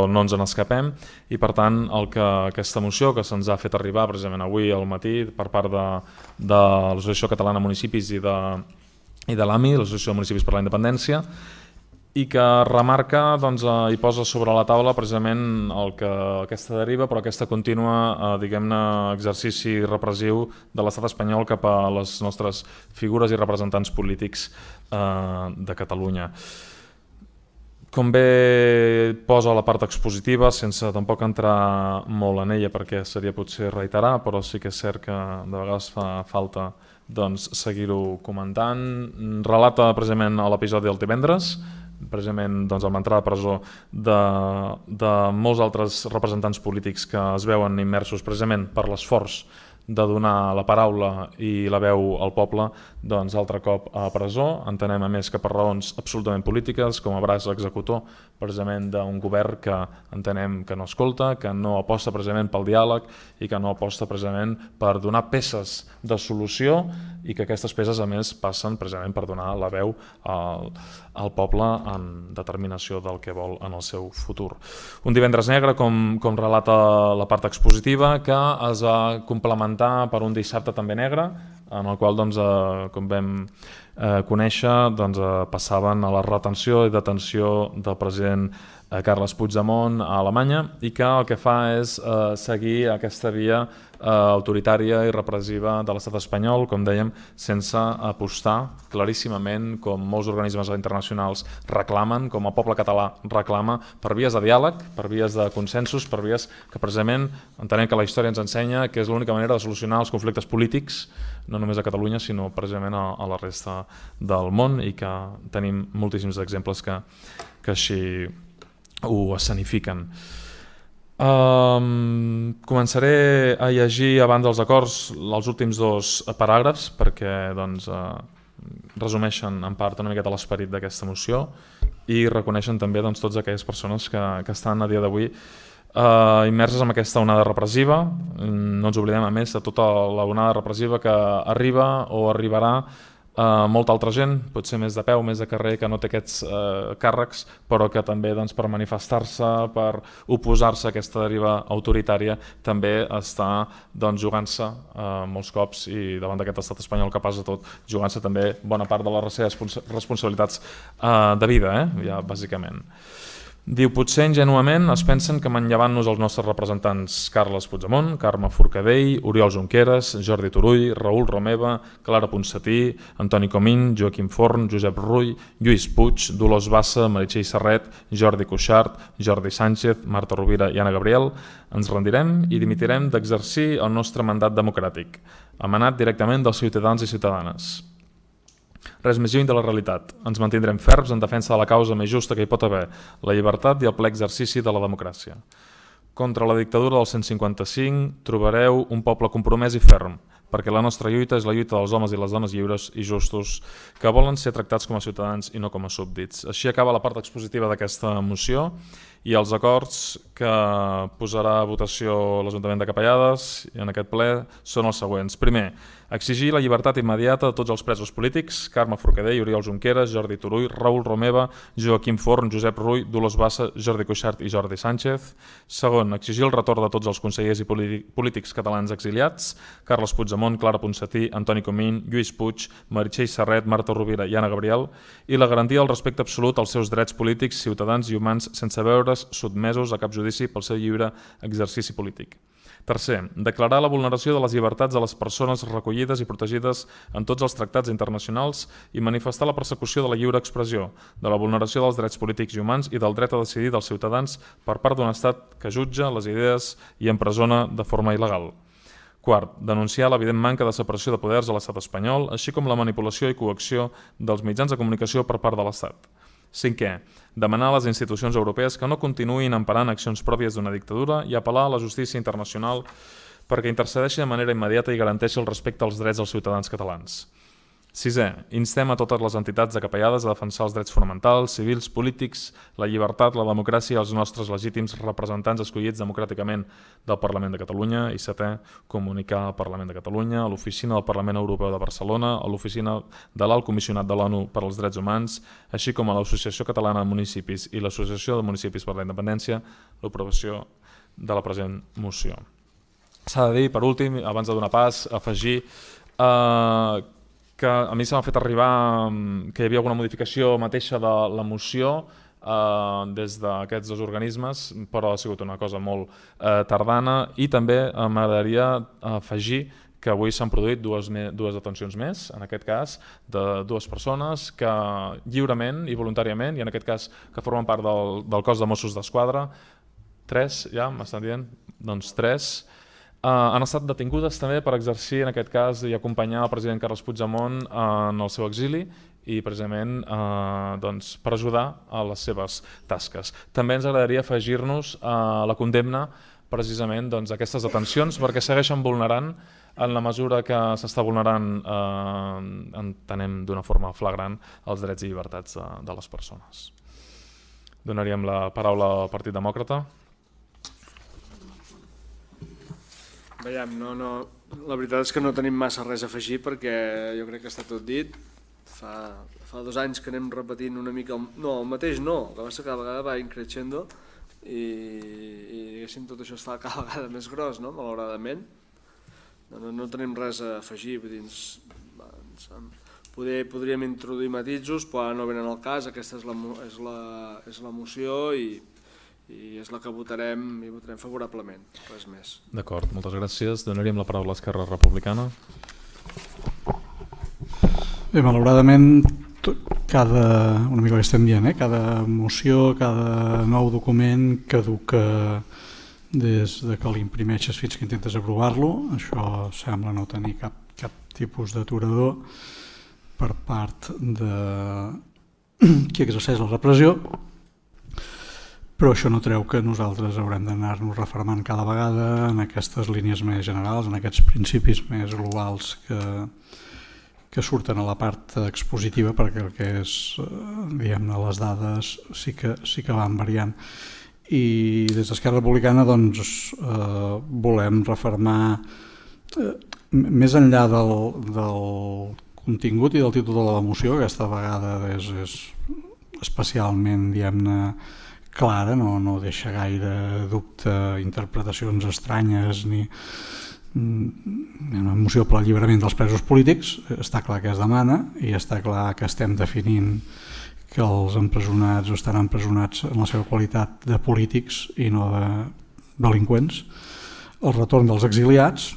no ens en escapem, i per tant aquesta moció que se'ns ha fet arribar precisament avui al matí per part de l'Associació Catalana de Municipis i de l'AMI, l'Associació de Municipis per la Independència, i que remarca i posa sobre la taula precisament aquesta deriva, però aquesta contínua exercici repressiu de l'estat espanyol cap a les nostres figures i representants polítics de Catalunya. Com bé posa la part expositiva, sense tampoc entrar molt en ella perquè seria potser reiterar, però sí que és cert que de vegades fa falta seguir-ho comentant. Relata precisament l'episodi del divendres, precisament amb l'entrada a presó de molts altres representants polítics que es veuen immersos precisament per l'esforç de donar la paraula i la veu al poble, altre cop a presó. Entenem a més que per raons absolutament polítiques, com a braç executor precisament d'un govern que entenem que no escolta, que no aposta precisament pel diàleg i que no aposta precisament per donar peces de solució, i que aquestes peces a més passen precisament per donar la veu al poble en determinació del que vol en el seu futur. Un divendres negre, com relata la part expositiva, que es va complementar per un dissabte també negre, en el qual, com vam conèixer, passaven a la retenció i detenció del president Carles Puigdemont a Alemanya, i que el que fa és seguir aquesta via autoritària i repressiva de l'estat espanyol, com dèiem, sense apostar claríssimament, com molts organismes internacionals reclamen, com el poble català reclama, per vies de diàleg, per vies de consensos, per vies que precisament entenem que la història ens ensenya que és l'única manera de solucionar els conflictes polítics, no només a Catalunya, sinó precisament a la resta del món, i que tenim moltíssims exemples que així ho escenifiquen. Començaré a llegir abans dels acords els últims dos paràgrafs perquè resumeixen en part una miqueta l'esperit d'aquesta moció i reconeixen també totes aquelles persones que estan a dia d'avui immerses en aquesta onada repressiva. No ens oblidem a més de tota la onada repressiva que arriba o arribarà molta altra gent, potser més de peu, més de carrer, que no té aquests càrrecs, però que també per manifestar-se, per oposar-se a aquesta deriva autoritària, també està jugant-se molts cops, i davant d'aquest estat espanyol capaç de tot, jugant-se també bona part de les seves responsabilitats de vida, ja bàsicament. Diu, potser ingenuament es pensen que manllevant-nos els nostres representants Carles Puigdemont, Carme Forcadell, Oriol Junqueras, Jordi Turull, Raül Romeva, Clara Ponsatí, Antoni Comín, Joaquim Forn, Josep Rull, Lluís Puig, Dolors Bassa, Meritxell Serret, Jordi Cuixart, Jordi Sánchez, Marta Rovira i Anna Gabriel, ens rendirem i dimitirem d'exercir el nostre mandat democràtic, emanat directament dels ciutadans i ciutadanes. Res més lluny de la realitat. Ens mantindrem ferms en defensa de la causa més justa que hi pot haver, la llibertat i el ple exercici de la democràcia. Contra la dictadura del 155 trobareu un poble compromès i ferm, perquè la nostra lluita és la lluita dels homes i les dones lliures i justos que volen ser tractats com a ciutadans i no com a súbdits. Així acaba la part expositiva d'aquesta moció, i els acords que posarà a votació l'Ajuntament de Capellades en aquest ple són els següents. Primer, exigir la llibertat immediata de tots els presos polítics, Carme Forcadell, Oriol Junqueras, Jordi Turull, Raül Romeva, Joaquim Forn, Josep Rull, Dolors Bassa, Jordi Cuixart i Jordi Sánchez. Segon, exigir el retorn de tots els consellers i polítics catalans exiliats, Carles Puigdemont, Puigdemont, Clara Ponsatí, Antoni Comín, Lluís Puig, Meritxell Serret, Marta Rovira i Anna Gabriel, i la garantia del respecte absolut als seus drets polítics, ciutadans i humans sense veure's sotmesos a cap judici pel seu lliure exercici polític. Tercer, declarar la vulneració de les llibertats de les persones recollides i protegides en tots els tractats internacionals i manifestar la persecució de la lliure expressió, de la vulneració dels drets polítics i humans i del dret a decidir dels ciutadans per part d'un estat que jutja les idees i empresona de forma il·legal. Quart, denunciar l'evident manca de separació de poders a l'estat espanyol, així com la manipulació i coacció dels mitjans de comunicació per part de l'estat. Cinquè, demanar a les institucions europees que no continuïn emparant accions pròpies d'una dictadura i apel·lar a la justícia internacional perquè intercedeixi de manera immediata i garanteixi el respecte als drets dels ciutadans catalans. Sisè, instem a totes les entitats acapellades a defensar els drets fonamentals, civils, polítics, la llibertat, la democràcia i els nostres legítims representants escollits democràticament del Parlament de Catalunya. I setè, comunicar al Parlament de Catalunya, a l'Oficina del Parlament Europeu de Barcelona, a l'Oficina de l'Alt Comissionat de l'ONU per als Drets Humans, així com a l'Associació Catalana de Municipis i l'Associació de Municipis per la Independència, l'aprovació de la present moció. S'ha de dir, per últim, abans de donar pas, afegir que a mi se m'ha fet arribar que hi havia alguna modificació mateixa de la moció des d'aquests dos organismes, però ha sigut una cosa molt tardana, i també m'agradaria afegir que avui s'han produït dues detencions més, en aquest cas, de dues persones que lliurement i voluntàriament, i en aquest cas que formen part del cos de Mossos d'Esquadra, 3, ja m'estan dient, doncs 3, han estat detingudes també per exercir, en aquest cas, i acompanyar el president Carles Puigdemont en el seu exili i precisament per ajudar a les seves tasques. També ens agradaria afegir-nos a la condemna precisament d'aquestes detencions perquè segueixen vulnerant, en la mesura que s'està vulnerant, entenem d'una forma flagrant, els drets i llibertats de les persones. Donaríem la paraula al Partit Demòcrata. Veiem, la veritat és que no tenim massa res a afegir perquè jo crec que està tot dit. Fa 2 anys que anem repetint una mica, el mateix no, el que passa que cada vegada va increixendo i diguéssim tot això es fa cada vegada més gros, malauradament. No tenim res a afegir, podríem introduir matisos, però no venen al cas, aquesta és la moció i és la que votarem i votarem favorablement, res més. D'acord, moltes gràcies. Donaríem la paraula a Esquerra Republicana. Bé, malauradament, una mica el que estem dient, cada moció, cada nou document caduca des que l'imprimeixes fins que intentes aprovar-lo. Això sembla no tenir cap tipus d'aturador per part de qui exerceix la repressió, però això no treu que nosaltres haurem d'anar-nos refermant cada vegada en aquestes línies més generals, en aquests principis més globals que surten a la part expositiva, perquè el que és, diguem-ne, les dades sí que van variant. I des d'Esquerra Republicana volem refermar, més enllà del contingut i del títol de la moció, que aquesta vegada és especialment, diguem-ne, clara, no deixa gaire dubte, interpretacions estranyes ni una moció per alliberament dels presos polítics. Està clar que es demana i està clar que estem definint que els empresonats estan empresonats en la seva qualitat de polítics i no de delinqüents. El retorn dels exiliats,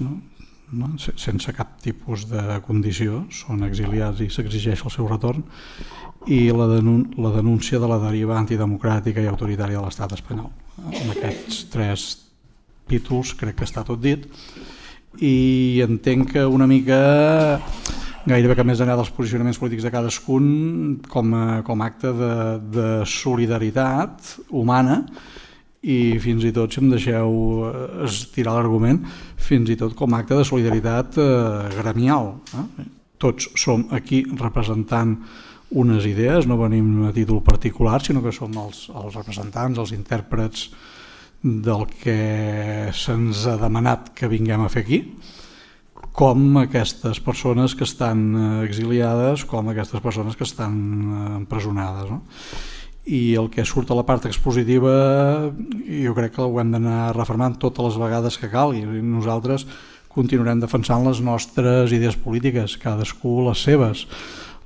sense cap tipus de condició, són exiliats i s'exigeix el seu retorn, i la denúncia de la deriva antidemocràtica i autoritària de l'estat espanyol. En aquests 3 títols crec que està tot dit i entenc que una mica, gairebé que més enllà dels posicionaments polítics de cadascun, com a acte de solidaritat humana i fins i tot, si em deixeu estirar l'argument, fins i tot com a acte de solidaritat gremial. Tots som aquí representant unes idees, no venim a títol particular, sinó que som els representants, els intèrprets del que se'ns ha demanat que vinguem a fer aquí, com aquestes persones que estan exiliades, com aquestes persones que estan empresonades. I el que surt a la part expositiva jo crec que ho hem d'anar refermant totes les vegades que calgui. Nosaltres continuarem defensant les nostres idees polítiques, cadascú les seves.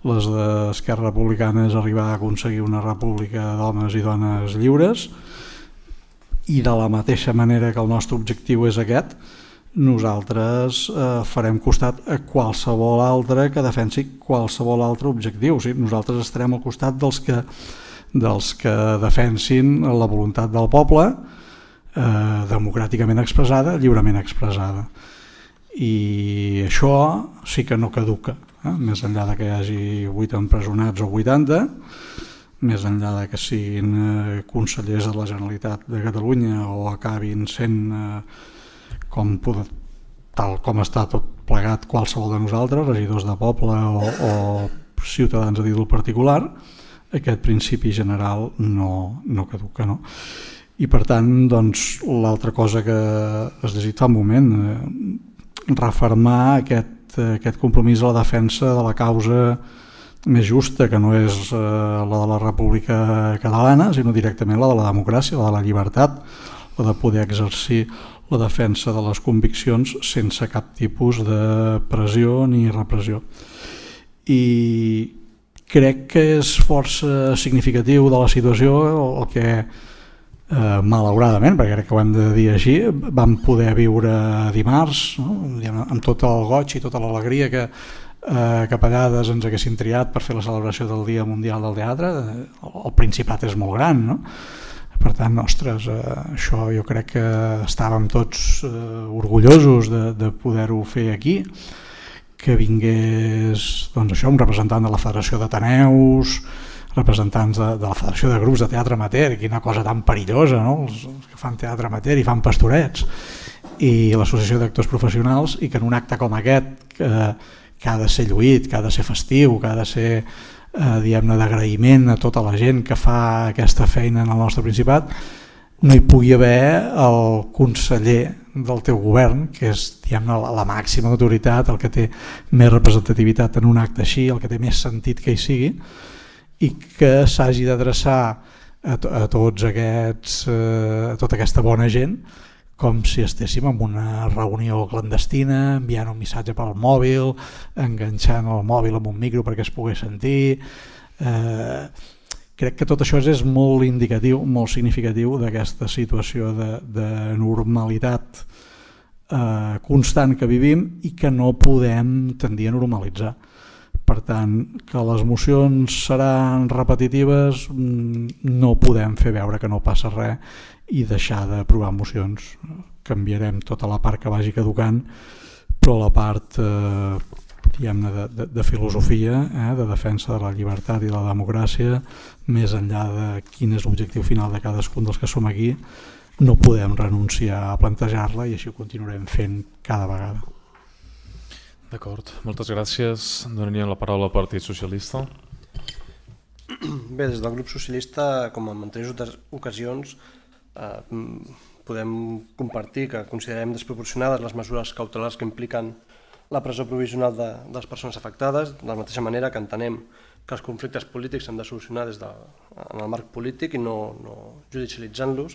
Les d'Esquerra Republicana és arribar a aconseguir una república d'homes i dones lliures, i de la mateixa manera que el nostre objectiu és aquest, nosaltres farem costat a qualsevol altre que defensi qualsevol altre objectiu. O sigui, nosaltres estarem al costat dels que defensin la voluntat del poble, democràticament expressada, lliurement expressada. I això sí que no caduca, més enllà de que hi hagi 8 empresonats o 80, més enllà de que siguin consellers de la Generalitat de Catalunya o acabin sent tal com està tot plegat qualsevol de nosaltres, regidors de poble o ciutadans a títol particular, aquest principi general no caduca, no? I per tant, doncs, l'altra cosa que has llegit fa un moment, refermar aquest compromís a la defensa de la causa més justa, que no és la de la República Catalana, sinó directament la de la democràcia, la de la llibertat, la de poder exercir la defensa de les conviccions sense cap tipus de pressió ni repressió. I crec que és força significatiu de la situació el que, malauradament, perquè crec que ho hem de dir així, vam poder viure dimarts, no? Amb tot el goig i tota l'alegria que a vegades ens haguessin triat per fer la celebració del Dia Mundial del Teatre. El Principat és molt gran, no? Per tant, ostres, això jo crec que estàvem tots orgullosos de poder-ho fer aquí, que vingués, doncs això, un representant de la Federació d'Ateneus, representants de la Federació de Grups de Teatre Amateur, quina cosa tan perillosa, no? Els que fan teatre amateur i fan pastorets, i l'Associació d'Actors Professionals, i que en un acte com aquest, que ha de ser lluït, que ha de ser festiu, que ha de ser diguem-ne d'agraïment a tota la gent que fa aquesta feina en el nostre Principat, no hi pugui haver el conseller del teu govern, que és diguem-ne la màxima autoritat, el que té més representativitat en un acte així, el que té més sentit que hi sigui, i que s'hagi d'adreçar a tots aquests, a tota aquesta bona gent, com si estéssim en una reunió clandestina, enviant un missatge pel mòbil, enganxant el mòbil amb un micro perquè es pogués sentir. Crec que tot això és molt indicatiu, molt significatiu d'aquesta situació de normalitat constant que vivim i que no podem tendir a normalitzar. Per tant, que les mocions seran repetitives, no podem fer veure que no passa res i deixar d'aprovar mocions. Canviarem tota la part que vagi caducant, però la part diguem-ne de filosofia, de defensa de la llibertat i de la democràcia, més enllà de quin és l'objectiu final de cadascun dels que som aquí, no podem renunciar a plantejar-la i així ho continuarem fent cada vegada. D'acord, moltes gràcies. Donaríem la paraula al Partit Socialista. Bé, des del grup socialista, com en anteriors ocasions, podem compartir que considerem desproporcionades les mesures cautelars que impliquen la presó provisional de les persones afectades, de la mateixa manera que entenem que els conflictes polítics s'han de solucionar en el marc polític i no judicialitzant-los.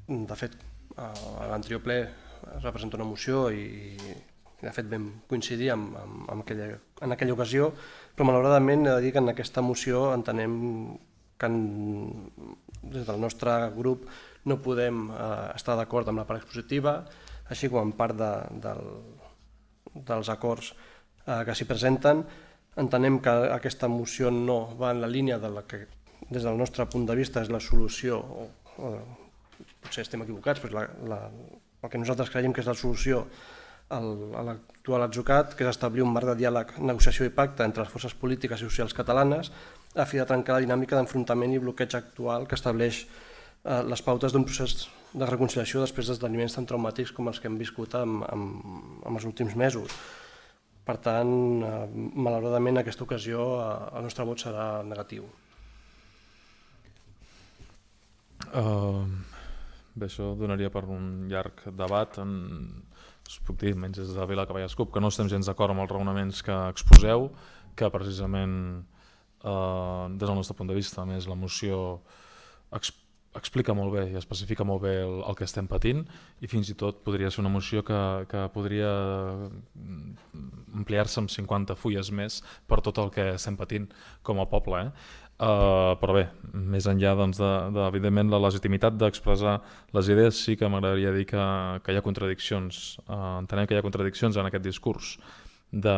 De fet, a l'anterior ple es va presentar una moció i de fet vam coincidir en aquella ocasió, però malauradament he de dir que en aquesta moció entenem que des del nostre grup no podem estar d'acord amb la part expositiva, així com en part dels acords que s'hi presenten. Entenem que aquesta moció no va en la línia de la que des del nostre punt de vista és la solució, potser estem equivocats, però el que nosaltres creiem que és la solució a l'actual atzucac, que és establir un marc de diàleg, negociació i pacte entre les forces polítiques i socials catalanes a fi de trencar la dinàmica d'enfrontament i bloqueig actual que estableix les pautes d'un procés de reconciliació després d'esdeveniments tan traumàtics com els que hem viscut en els últims mesos. Per tant, malauradament, en aquesta ocasió el nostre vot serà negatiu. Bé, això donaria per un llarg debat. Us puc dir, menys des de Vilacavalles CUP, que no estem gens d'acord amb els raonaments que exposeu, que precisament des del nostre punt de vista, a més la moció explica molt bé i especifica molt bé el que estem patint, i fins i tot podria ser una moció que podria ampliar-se amb 50 fulles més per tot el que estem patint com a poble. Però bé, més enllà evidentment la legitimitat d'expressar les idees, sí que m'agradaria dir que hi ha contradiccions. Entenem que hi ha contradiccions en aquest discurs de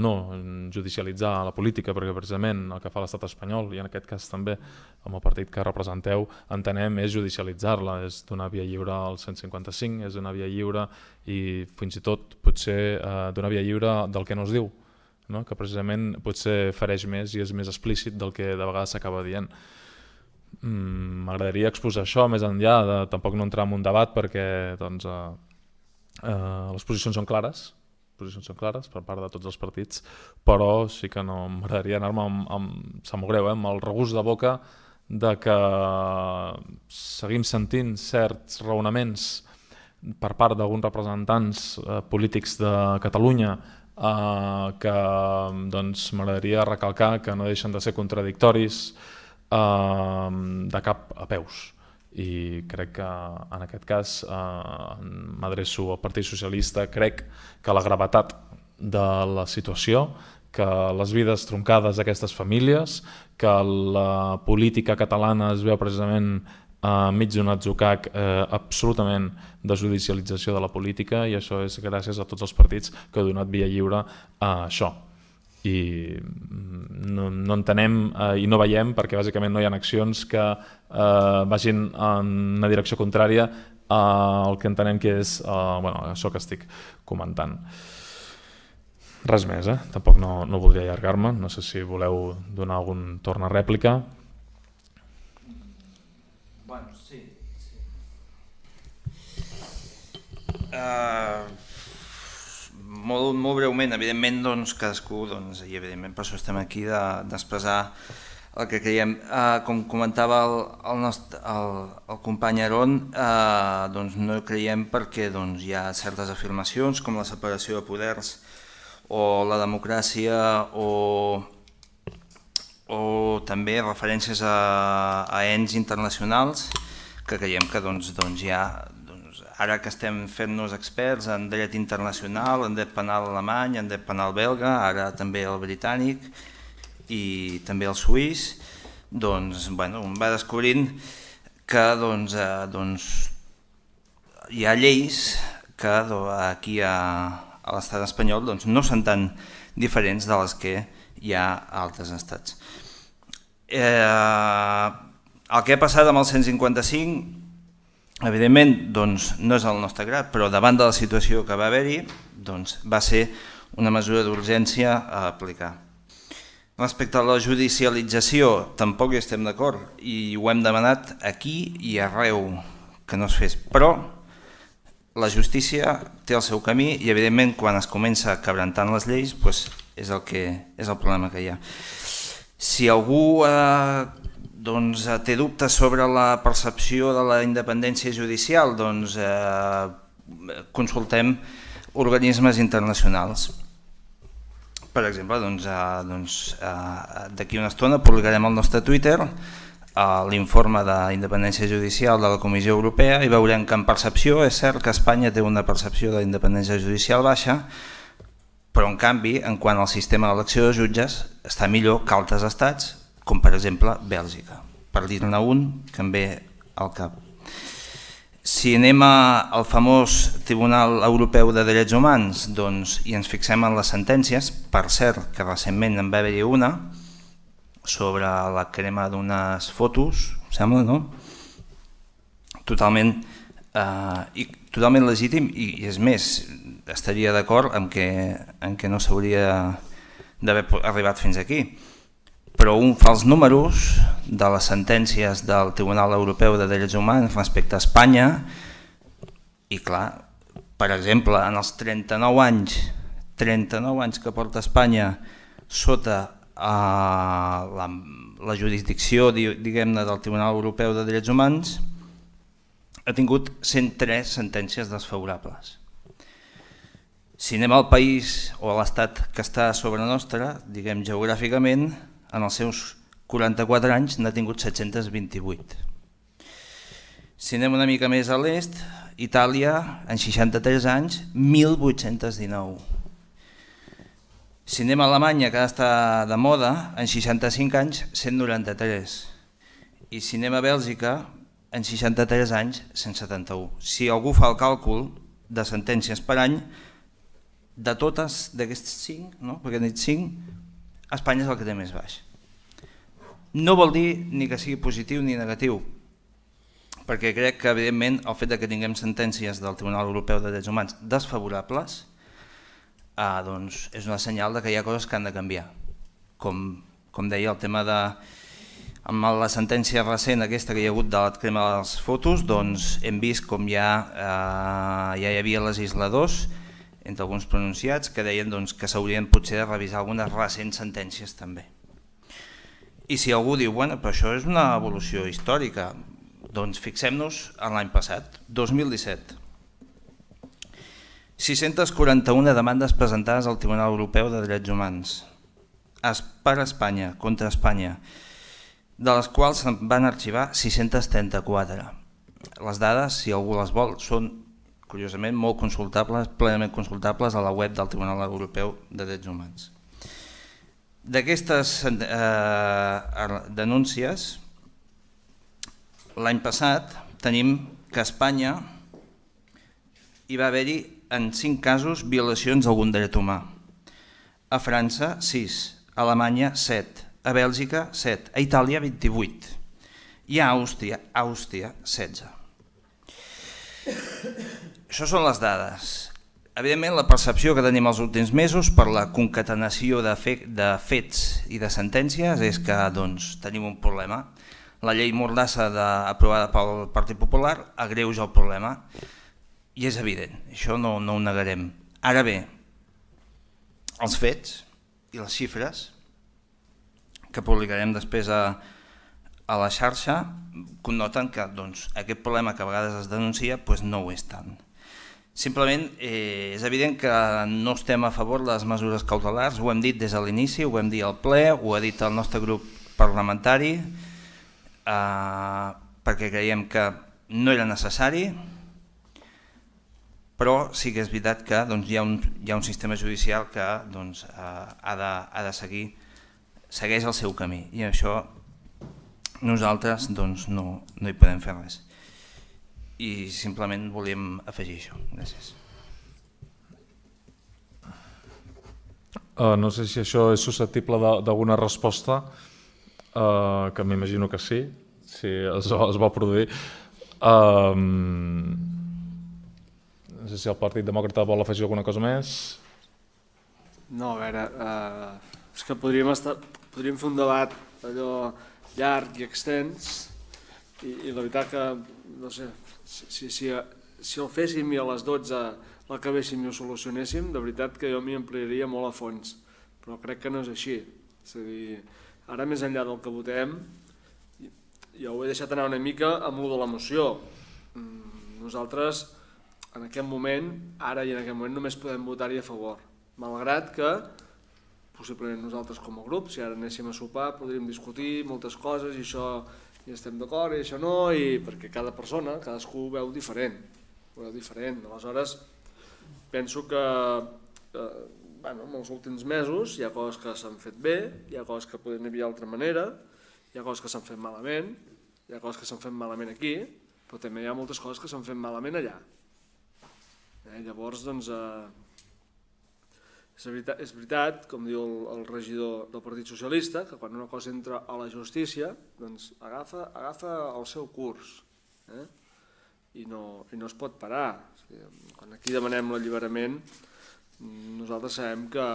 no judicialitzar la política, perquè precisament el que fa l'estat espanyol, i en aquest cas també amb el partit que representeu, entenem, és judicialitzar-la, és donar via lliure al 155, és donar via lliure i fins i tot potser donar via lliure del que no es diu, no? Que precisament potser fereix més i és més explícit del que de vegades s'acaba dient. M'agradaria exposar això més enllà de tampoc no entrar en un debat, perquè doncs, les posicions són clares per part de tots els partits, però sí que no m'agradaria anar-me sap molt greu, amb el regust de boca de que seguim sentint certs raonaments per part d'alguns representants polítics de Catalunya que doncs, m'agradaria recalcar que no deixen de ser contradictoris de cap a peus. I crec que en aquest cas m'adreço al Partit Socialista, crec que la gravetat de la situació, que les vides troncades d'aquestes famílies, que la política catalana es veu precisament enmig d'un atzucac absolutament de judicialització de la política, i això és gràcies a tots els partits que han donat via lliure a això. I no entenem i no veiem, perquè bàsicament no hi ha accions que vagin en una direcció contrària al que entenem que és això que estic comentant. Res més, tampoc no voldria allargar-me, no sé si voleu donar algun torn a rèplica. Bueno, sí. Molt breument, evidentment, doncs, cadascú, i evidentment per això estem aquí, d'expressar el que creiem. Com comentava el company Aron, doncs no creiem perquè hi ha certes afirmacions com la separació de poders o la democràcia o també referències a ens internacionals que creiem que hi ha. Ara que estem fent-nos experts en dret internacional, en dret penal alemany, en dret penal belga, ara també el britànic i també el suís, doncs un va descobrint que hi ha lleis que aquí a l'estat espanyol no són tan diferents de les que hi ha a altres estats. El que ha passat amb el 155, evidentment, no és el nostre grat, però davant de la situació que va haver-hi, va ser una mesura d'urgència a aplicar. Respecte a la judicialització, tampoc hi estem d'acord i ho hem demanat aquí i arreu que no es fes, però la justícia té el seu camí i, evidentment, quan es comença quebrantant les lleis, és el problema que hi ha. Si algú té dubtes sobre la percepció de la independència judicial, consultem organismes internacionals. Per exemple, d'aquí una estona publicarem al nostre Twitter l'informe d'independència judicial de la Comissió Europea i veurem que en percepció és cert que Espanya té una percepció de independència judicial baixa, però en canvi, en quant al sistema d'elecció de jutges, està millor que altres estats, com per exemple Bèlgica, per dir-ne un que em ve al cap. Si anem al famós Tribunal Europeu de Drets Humans i ens fixem en les sentències, per cert que recentment en va haver-hi una sobre la crema d'unes fotos, sembla, no? Totalment legítim i és més, estaria d'acord en que no s'hauria d'haver arribat fins aquí. Però un fa els números de les sentències del Tribunal Europeu de Drets Humans respecte a Espanya i clar, per exemple, en els 39 anys que porta Espanya sota la jurisdicció, diguem-ne, del Tribunal Europeu de Drets Humans, ha tingut 103 sentències desfavorables. Si anem al país o a l'estat que està a sobre nostra, diguem geogràficament, en els seus 44 anys n'ha tingut 728. Si anem una mica més a l'est, Itàlia, en 63 anys, 1.819. Si anem a Alemanya, que ara està de moda, en 65 anys, 193. I si anem a Bèlgica, en 63 anys, 171. Si algú fa el càlcul de sentències per any, de totes d'aquests 5, no? Perquè he dit 5, Espanya és el que té més baix. No vol dir ni que sigui positiu ni negatiu, perquè crec que, evidentment, el fet que tinguem sentències del Tribunal Europeu de Drets Humans desfavorables doncs és una senyal que hi ha coses que han de canviar. Com deia, el tema de... Amb la sentència recent aquesta que hi ha hagut de la crema de les fotos, doncs hem vist com ja hi havia legisladors, entre alguns pronunciats, que deien que s'haurien potser de revisar algunes recents sentències també. I si algú diu, bueno, però això és una evolució històrica, doncs fixem-nos en l'any passat, 2017. 641 demandes presentades al Tribunal Europeu de Drets Humans per Espanya, contra Espanya, de les quals se'n van arxivar 634. Les dades, si algú les vol, són, curiosament, molt consultables, plenament consultables a la web del Tribunal Europeu de Drets Humans. D'aquestes denúncies, l'any passat tenim que a Espanya hi va haver-hi en 5 casos violacions d'algun dret humà. A França, 6, a Alemanya, 7, a Bèlgica, 7, a Itàlia, 28 i a Àustria, 16. Això són les dades. Evidentment, la percepció que tenim els últims mesos per la concatenació de fets i de sentències és que tenim un problema. La llei Mordassa aprovada pel Partit Popular agreuja el problema i és evident, això no ho negarem. Ara bé, els fets i les xifres que publicarem després a la xarxa connoten que aquest problema que a vegades es denuncia no ho és tant. Simplement és evident que no estem a favor de les mesures cautelars, ho hem dit des de l'inici, ho vam dir al ple, ho ha dit el nostre grup parlamentari, perquè creiem que no era necessari, però sí que és veritat que hi ha un sistema judicial que ha de segueix el seu camí i això nosaltres no hi podem fer res. I simplement volíem afegir això. Gràcies. No sé si això és susceptible d'alguna resposta, que m'imagino que sí, si es va produir. No sé si el Partit Demòcrata vol afegir alguna cosa més. No, a veure, és que podríem fer un debat allò llarg i extens i la veritat que, no sé, si el féssim i a les 12 l'acabéssim i ho solucionéssim, de veritat que jo m'hi ampliaria molt a fons, però crec que no és així. És a dir, ara més enllà del que votem, jo ho he deixat anar una mica amb lo de la moció. Nosaltres, en aquest moment, ara i en aquest moment, només podem votar-hi a favor, malgrat que possiblement nosaltres com a grup, si ara anéssim a sopar, podríem discutir moltes coses i això hi estem d'acord i això no, perquè cada persona, cadascú ho veu diferent. Aleshores, penso que en els últims mesos hi ha coses que s'han fet bé, hi ha coses que podem havia d'altra manera, hi ha coses que s'han fet malament, hi ha coses que s'han fet malament aquí, però també hi ha moltes coses que s'han fet malament allà. Llavors, és veritat, com diu el regidor del Partit Socialista, que quan una cosa entra a la justícia agafa el seu curs i no es pot parar. Quan aquí demanem l'alliberament, nosaltres sabem que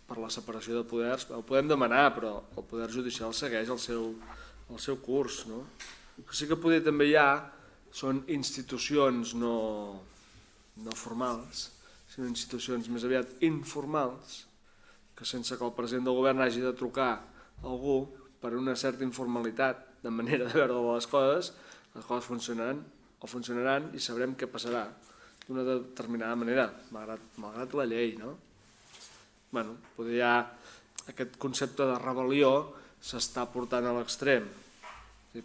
per la separació de poders ho podem demanar, però el poder judicial segueix el seu curs. El que sí que poder també hi ha són institucions no formals, sinó institucions més aviat informals, que sense que el president del govern hagi de trucar a algú per una certa informalitat de manera de veure les coses funcionaran i sabrem què passarà d'una determinada manera, malgrat la llei. Potser ja aquest concepte de rebel·lió s'està portant a l'extrem.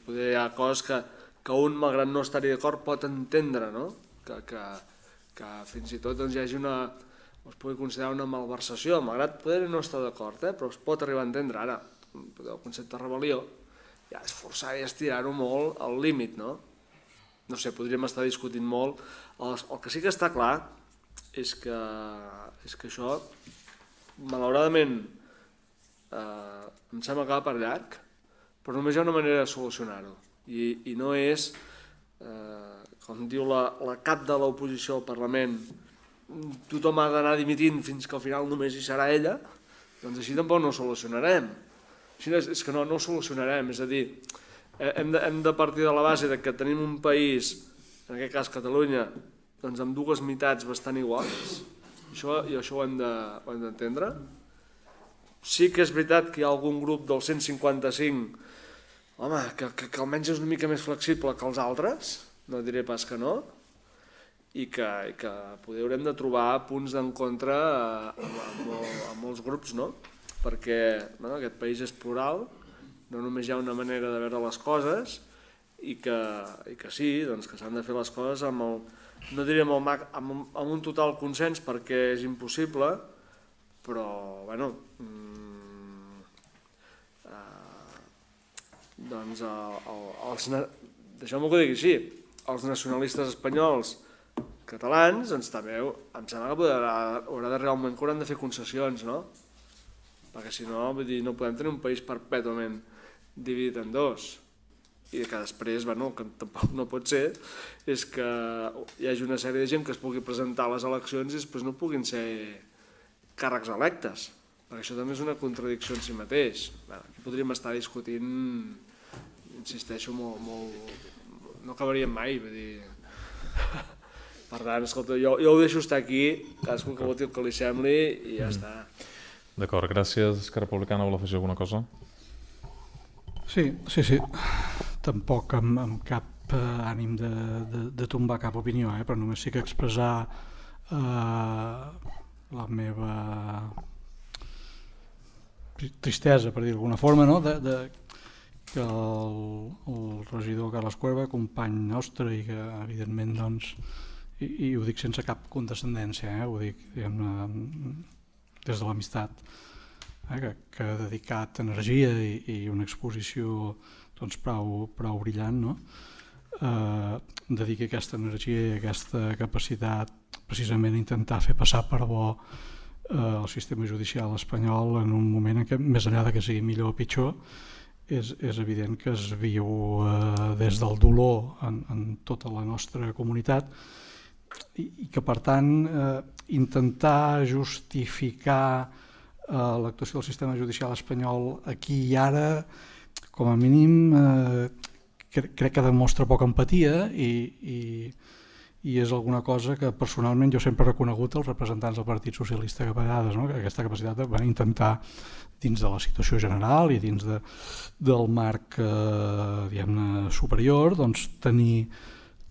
Potser hi ha coses que que un, malgrat no estar-hi d'acord, pot entendre, no? Que fins i tot hi hagi es pugui considerar una malversació, malgrat poder no estar d'acord, però es pot arribar a entendre. Ara, el concepte de rebel·lió ja és forçar i estirar-ho molt al límit, no? No sé, podríem estar discutint molt. El que sí que està clar és que això, malauradament, em sembla que va per llarg, però només hi ha una manera de solucionar-ho. I no és, com diu la cap de l'oposició al Parlament, tothom ha d'anar dimitint fins que al final només hi serà ella, doncs així tampoc no ho solucionarem. És que no ho solucionarem, és a dir, hem de partir de la base que tenim un país, en aquest cas Catalunya, doncs amb dues meitats bastant iguals, i això ho hem d'entendre. Sí que és veritat que hi ha algun grup del 155, home, que almenys és una mica més flexible que els altres, no diré pas que no, i que poder haurem de trobar punts d'encontre amb molts grups, no? Perquè aquest país és plural, no només hi ha una manera de veure les coses, i que sí, que s'han de fer les coses no diríem amb un total consens perquè és impossible, però, bueno, doncs, deixeu-me que ho digui així, els nacionalistes espanyols catalans, doncs també em sembla que haurà d'arribar un moment que hauran de fer concessions, no? Perquè si no, vull dir, no podem tenir un país perpètuament dividit en dos. I que després, bueno, que tampoc no pot ser, és que hi hagi una sèrie de gent que es pugui presentar a les eleccions i després no puguin ser càrrecs electes, perquè això també és una contradicció en si mateix. Aquí podríem estar discutint, insisteixo, molt... no acabaríem mai, vull dir... Per tant, escolta, jo ho deixo estar aquí, cadascú que voti el que li sembli i ja està. D'acord, gràcies. Esquerra Republicana vol afegir alguna cosa? Sí. Tampoc amb cap ànim de tombar cap opinió, però només sí que expressar la meva tristesa, per dir d'alguna forma, no? Que el regidor Carles Cuerva, company nostre i que evidentment, doncs, i ho dic sense cap condescendència, ho dic des de l'amistat, que ha dedicat energia i una exposició prou brillant, dediqui aquesta energia i aquesta capacitat precisament a intentar fer passar per bo el sistema judicial espanyol en un moment en què, més enllà que sigui millor o pitjor, és evident que es viu des del dolor en tota la nostra comunitat i que, per tant, intentar justificar l'actuació del sistema judicial espanyol aquí i ara, com a mínim, crec que demostra poca empatia i és alguna cosa que personalment jo sempre he reconegut als representants del Partit Socialista que a vegades, aquesta capacitat de intentar dins de la situació general i dins del marc superior,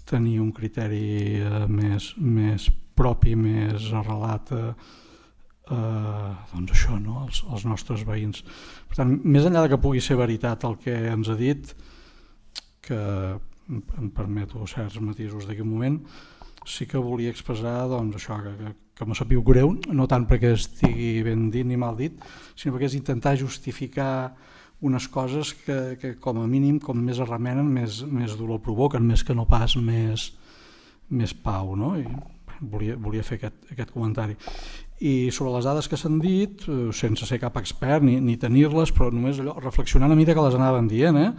tenir un criteri més propi, més arrelat als nostres veïns. Per tant, més enllà que pugui ser veritat el que ens ha dit, que em permeto certs matisos d'aquest moment, sí que volia expressar això, que m'ha sabut greu, no tant perquè estigui ben dit ni mal dit, sinó perquè és intentar justificar unes coses que com a mínim, com més es remenen, més dolor provoquen, més que no pas més pau. I volia fer aquest comentari. I sobre les dades que s'han dit, sense ser cap expert ni tenir-les, però només allò, reflexionant a mida que les anaven dient,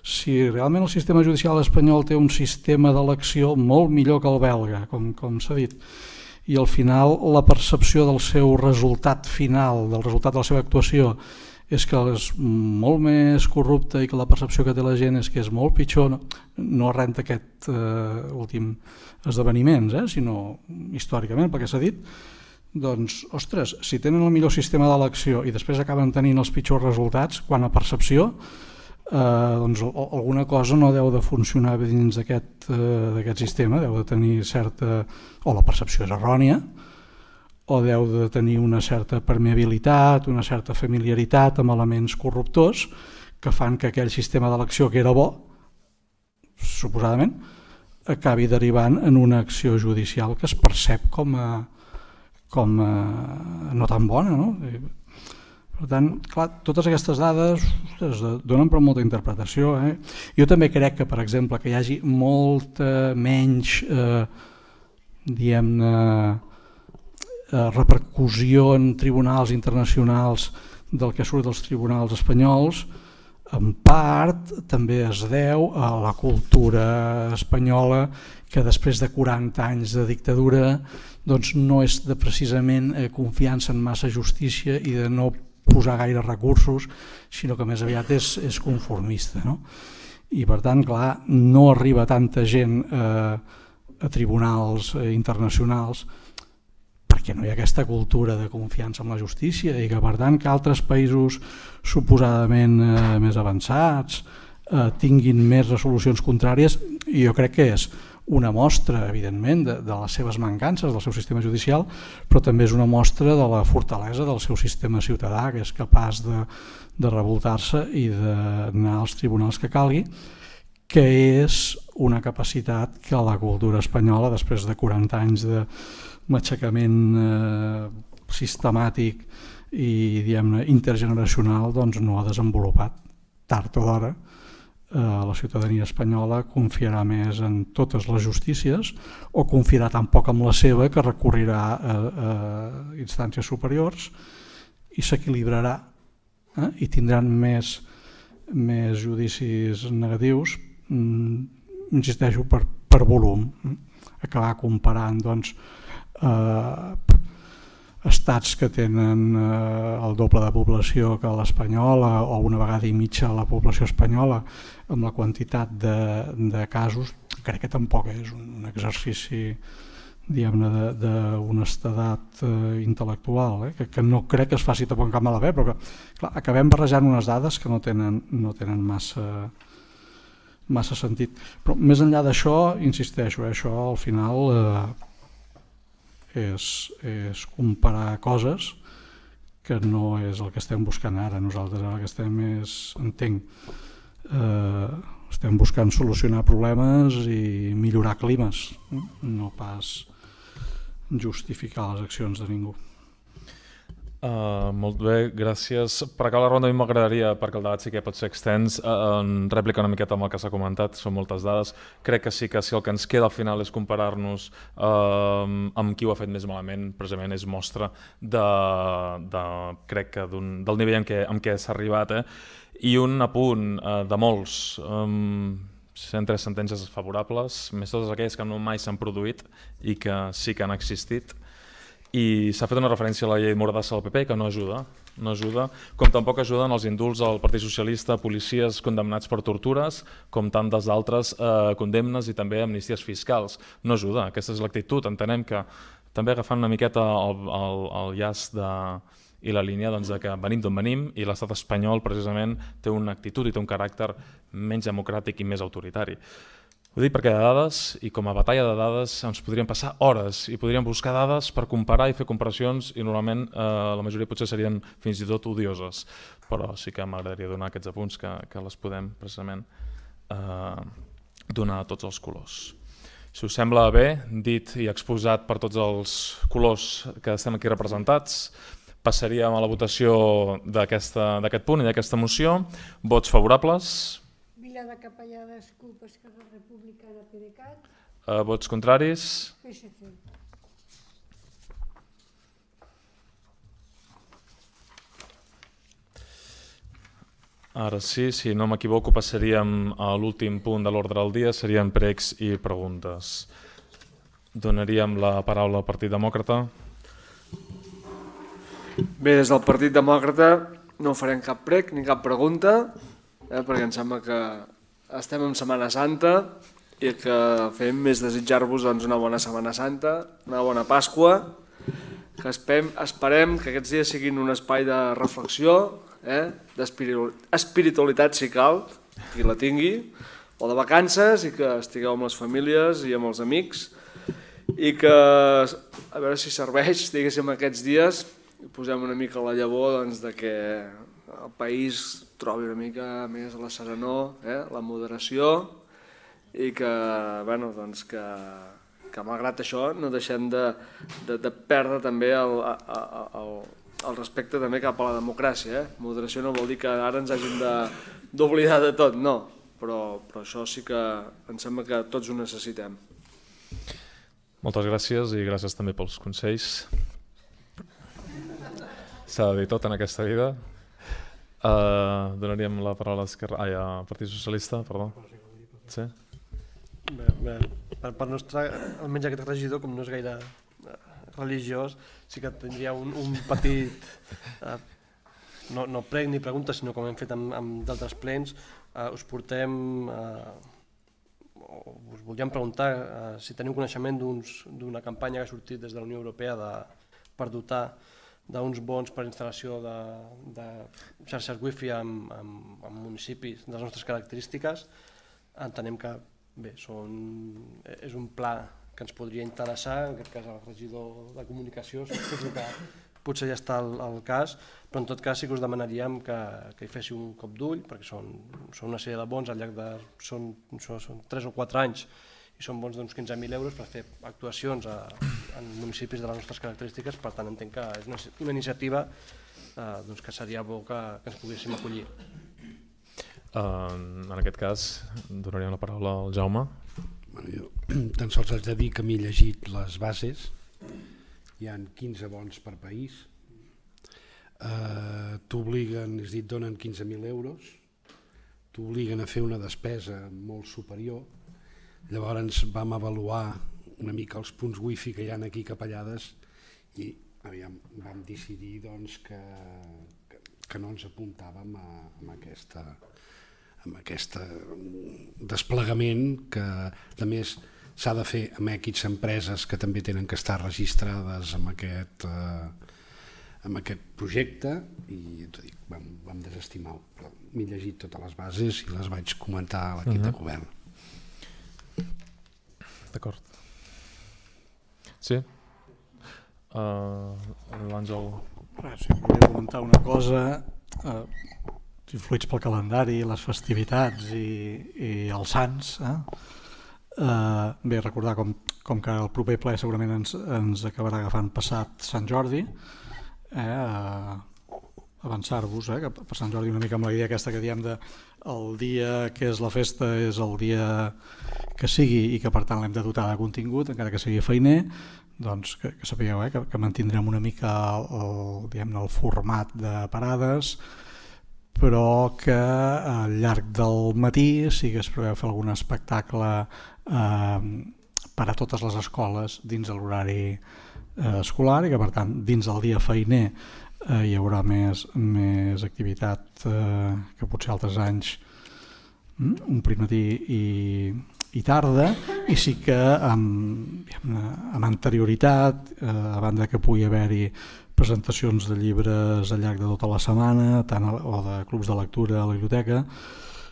si realment el sistema judicial espanyol té un sistema d'elecció molt millor que el belga, com s'ha dit, i al final la percepció del seu resultat final, del resultat de la seva actuació, és que és molt més corrupte i que la percepció que té la gent és que és molt pitjor, no arran d'aquest últim esdeveniments, sinó històricament, perquè s'ha dit, doncs, ostres, si tenen el millor sistema d'elecció i després acaben tenint els pitjors resultats, quan a percepció, doncs alguna cosa no deu de funcionar dins d'aquest sistema, deu de tenir certa... o la percepció és errònia, o deu de tenir una certa permeabilitat, una certa familiaritat amb elements corruptors que fan que aquell sistema d'elecció que era bo suposadament, acabi derivant en una acció judicial que es percep com a no tan bona, no? Per tant, clar, totes aquestes dades donen per molta interpretació. Jo també crec que, per exemple, que hi hagi molta menys repercussió en tribunals internacionals del que surt dels tribunals espanyols, en part també es deu a la cultura espanyola, que després de 40 anys de dictadura doncs no és de precisament confiança en massa justícia i de no posar gaire recursos, sinó que més aviat és conformista, no? I per tant, clar, no arriba tanta gent a tribunals internacionals perquè no hi ha aquesta cultura de confiança en la justícia i que per tant que altres països suposadament més avançats tinguin més resolucions contràries, i jo crec que és una mostra, evidentment, de les seves mancances del seu sistema judicial, però també és una mostra de la fortalesa del seu sistema ciutadà, que és capaç de revoltar-se i d'anar als tribunals que calgui, que és una capacitat que la cultura espanyola, després de 40 anys de matxacament sistemàtic i diguem-ne intergeneracional, doncs no ha desenvolupat. Tard o d'hora la ciutadania espanyola confiarà més en totes les justícies o confiarà tan poc en la seva que recorrirà a instàncies superiors i s'equilibrarà i tindran més judicis negatius, insisteixo, per volum. Acabar comparant doncs estats que tenen el doble de població que l'espanyola o una vegada i mitja la població espanyola amb la quantitat de casos, crec que tampoc és un exercici diguem-ne d'honestedat intel·lectual, que no crec que es faci tampoc en cap mala fe, però que clar, acabem barrejant unes dades que no tenen massa sentit. Però més enllà d'això, insisteixo, això al final és comparar coses que no és el que estem buscant ara. Nosaltres ara el que estem estem buscant solucionar problemes i millorar climes, no pas justificar les accions de ningú. Molt bé, gràcies. Per acabar la ronda a mi m'agradaria, perquè el debat sí que pot ser extens, en rèplica una miqueta amb el que s'ha comentat, són moltes dades. Crec que sí que si el que ens queda al final és comparar-nos amb qui ho ha fet més malament, precisament és mostra crec que del nivell en què s'ha arribat. I un apunt de molts, 103 sentències favorables, més totes aquelles que no mai s'han produït i que sí que han existit. I s'ha fet una referència a la llei Mordassa del PP que no ajuda, com tampoc ajuden els indults al Partit Socialista, policies condemnats per tortures, com tantes d'altres condemnes i també amnisties fiscals. No ajuda, aquesta és l'actitud. Entenem que també agafant una miqueta el llaç i la línia de que venim d'on venim i l'estat espanyol precisament té una actitud i té un caràcter menys democràtic i més autoritari. Ho dic perquè de dades, i com a batalla de dades, ens podríem passar hores i podríem buscar dades per comparar i fer comparacions i normalment la majoria potser serien fins i tot odioses, però sí que m'agradaria donar aquests apunts que les podem precisament donar a tots els colors. Si us sembla bé, dit i exposat per tots els colors que estem aquí representats, passaríem a la votació d'aquest punt i d'aquesta moció. Vots favorables? Vila de Capellades, CUP, Esquerra Republicana, PDeCAT. Vots contraris? PSC. Ara sí, si no m'equivoco, passaríem a l'últim punt de l'ordre del dia, serien pregs i preguntes. Donaríem la paraula al Partit Demòcrata. Bé, des del Partit Demòcrata no farem cap prec ni cap pregunta, perquè em sembla que estem en Setmana Santa i el que fem és desitjar-vos una bona Setmana Santa, una bona Pasqua, que esperem que aquests dies siguin un espai de reflexió, d'espiritualitat si cal, qui la tingui, o de vacances, i que estigueu amb les famílies i amb els amics, i que a veure si serveix, diguéssim, aquests dies, posem una mica la llavor de que el país trobi una mica més la serenor, la moderació, i que malgrat això no deixem de perdre també el respecte també cap a la democràcia. Moderació no vol dir que ara ens hàgim d'oblidar de tot, no, però això sí que em sembla que tots ho necessitem. Moltes gràcies i gràcies també pels consells. S'ha de dir tot en aquesta vida. Donaríem la paraula al Partit Socialista, perdó. Sí? Bé, per nostre, almenys aquest regidor, com no és gaire religiós, sí que tindria un petit, no prec ni pregunta, sinó com hem fet amb d'altres plens, us portem, us volíem preguntar si teniu coneixement d'una campanya que ha sortit des de la Unió Europea per dotar d'uns bons per instal·lació de xarxes wifi en municipis de les nostres característiques. Entenem que és un pla que ens podria interessar, en aquest cas el regidor de comunicació, suposo que potser ja està el cas, però en tot cas sí que us demanaríem que hi féssiu un cop d'ull, perquè són una sèrie de bons al llarg de... són 3 o 4 anys i són bons d'uns 15.000 euros per fer actuacions en municipis de les nostres característiques, per tant entenc que és una iniciativa que seria bo que ens poguéssim acollir. En aquest cas, donaríem la paraula al Jaume. Jo tan sols haig de dir que m'he llegit les bases, hi ha 15 bons per país, t'obliguen, és dir, donen 15.000 euros, t'obliguen a fer una despesa molt superior, llavors vam avaluar una mica els punts wifi que hi ha aquí capellades i vam decidir que no ens apuntàvem a aquest desplegament que a més s'ha de fer amb aquestes empreses que també tenen que estar registrades amb aquest projecte i vam desestimar, però m'he llegit totes les bases i les vaig comentar a l'equip de govern. D'acord. Sí? L'Àngel. Sí, volia comentar una cosa, influïts pel calendari, les festivitats i els sants. Bé, recordar com que el proper ple segurament ens acabarà agafant passat Sant Jordi, avançar-vos, que per Sant Jordi una mica amb la idea aquesta que diem el dia que és la festa és el dia que sigui i que per tant l'hem de dotar de contingut, encara que sigui feiner, doncs que sapigueu que mantindrem una mica el format de parades, però que al llarg del matí sí que es preveu fer algun espectacle per a totes les escoles dins de l'horari escolar i que per tant dins del dia feiner hi haurà més activitat que potser altres anys omplint matí i tarda, i sí que amb anterioritat, a banda que pugui haver-hi presentacions de llibres al llarg de tota la setmana o de clubs de lectura a la biblioteca,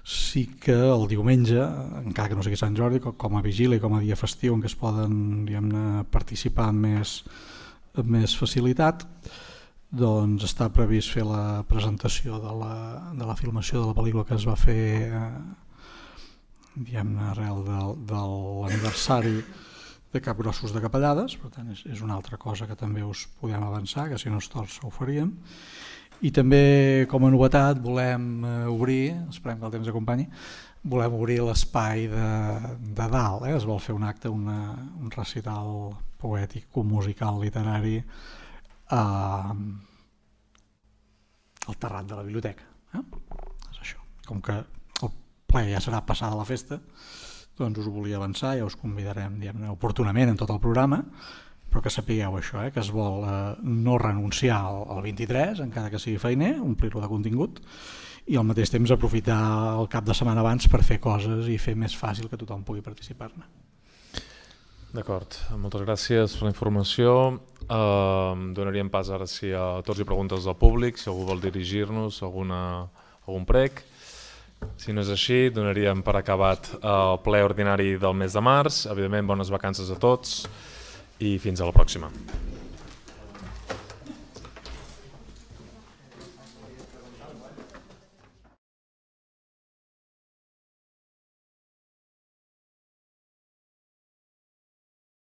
sí que el diumenge, encara que no sigui Sant Jordi, com a vigília i com a dia festiu en què es poden participar amb més facilitat, doncs està previst fer la presentació de la filmació de la pel·lícula que es va fer arrel de l'aniversari de Capgrossos de Capellades, per tant és una altra cosa que també us podem avançar, que si no es torça ho faríem. I també com a novetat volem obrir, esperem que el temps acompanyi, volem obrir l'espai de dalt, es vol fer un acte, un recital poètic, musical, literari al terrat de la biblioteca. És això. Com que el ple ja serà passada la festa, doncs us ho volia avançar, ja us convidarem oportunament en tot el programa, però que sapigueu això, que es vol no renunciar al 23, encara que sigui feiner, omplir-lo de contingut, i al mateix temps aprofitar el cap de setmana abans per fer coses i fer més fàcil que tothom pugui participar-ne. D'acord, moltes gràcies per la informació. Donaríem pas ara si a torns i preguntes del públic, si algú vol dirigir-nos algun prec. Si no és així, donaríem per acabat el ple ordinari del mes de març. Evidentment, bones vacances a tots i fins a la pròxima.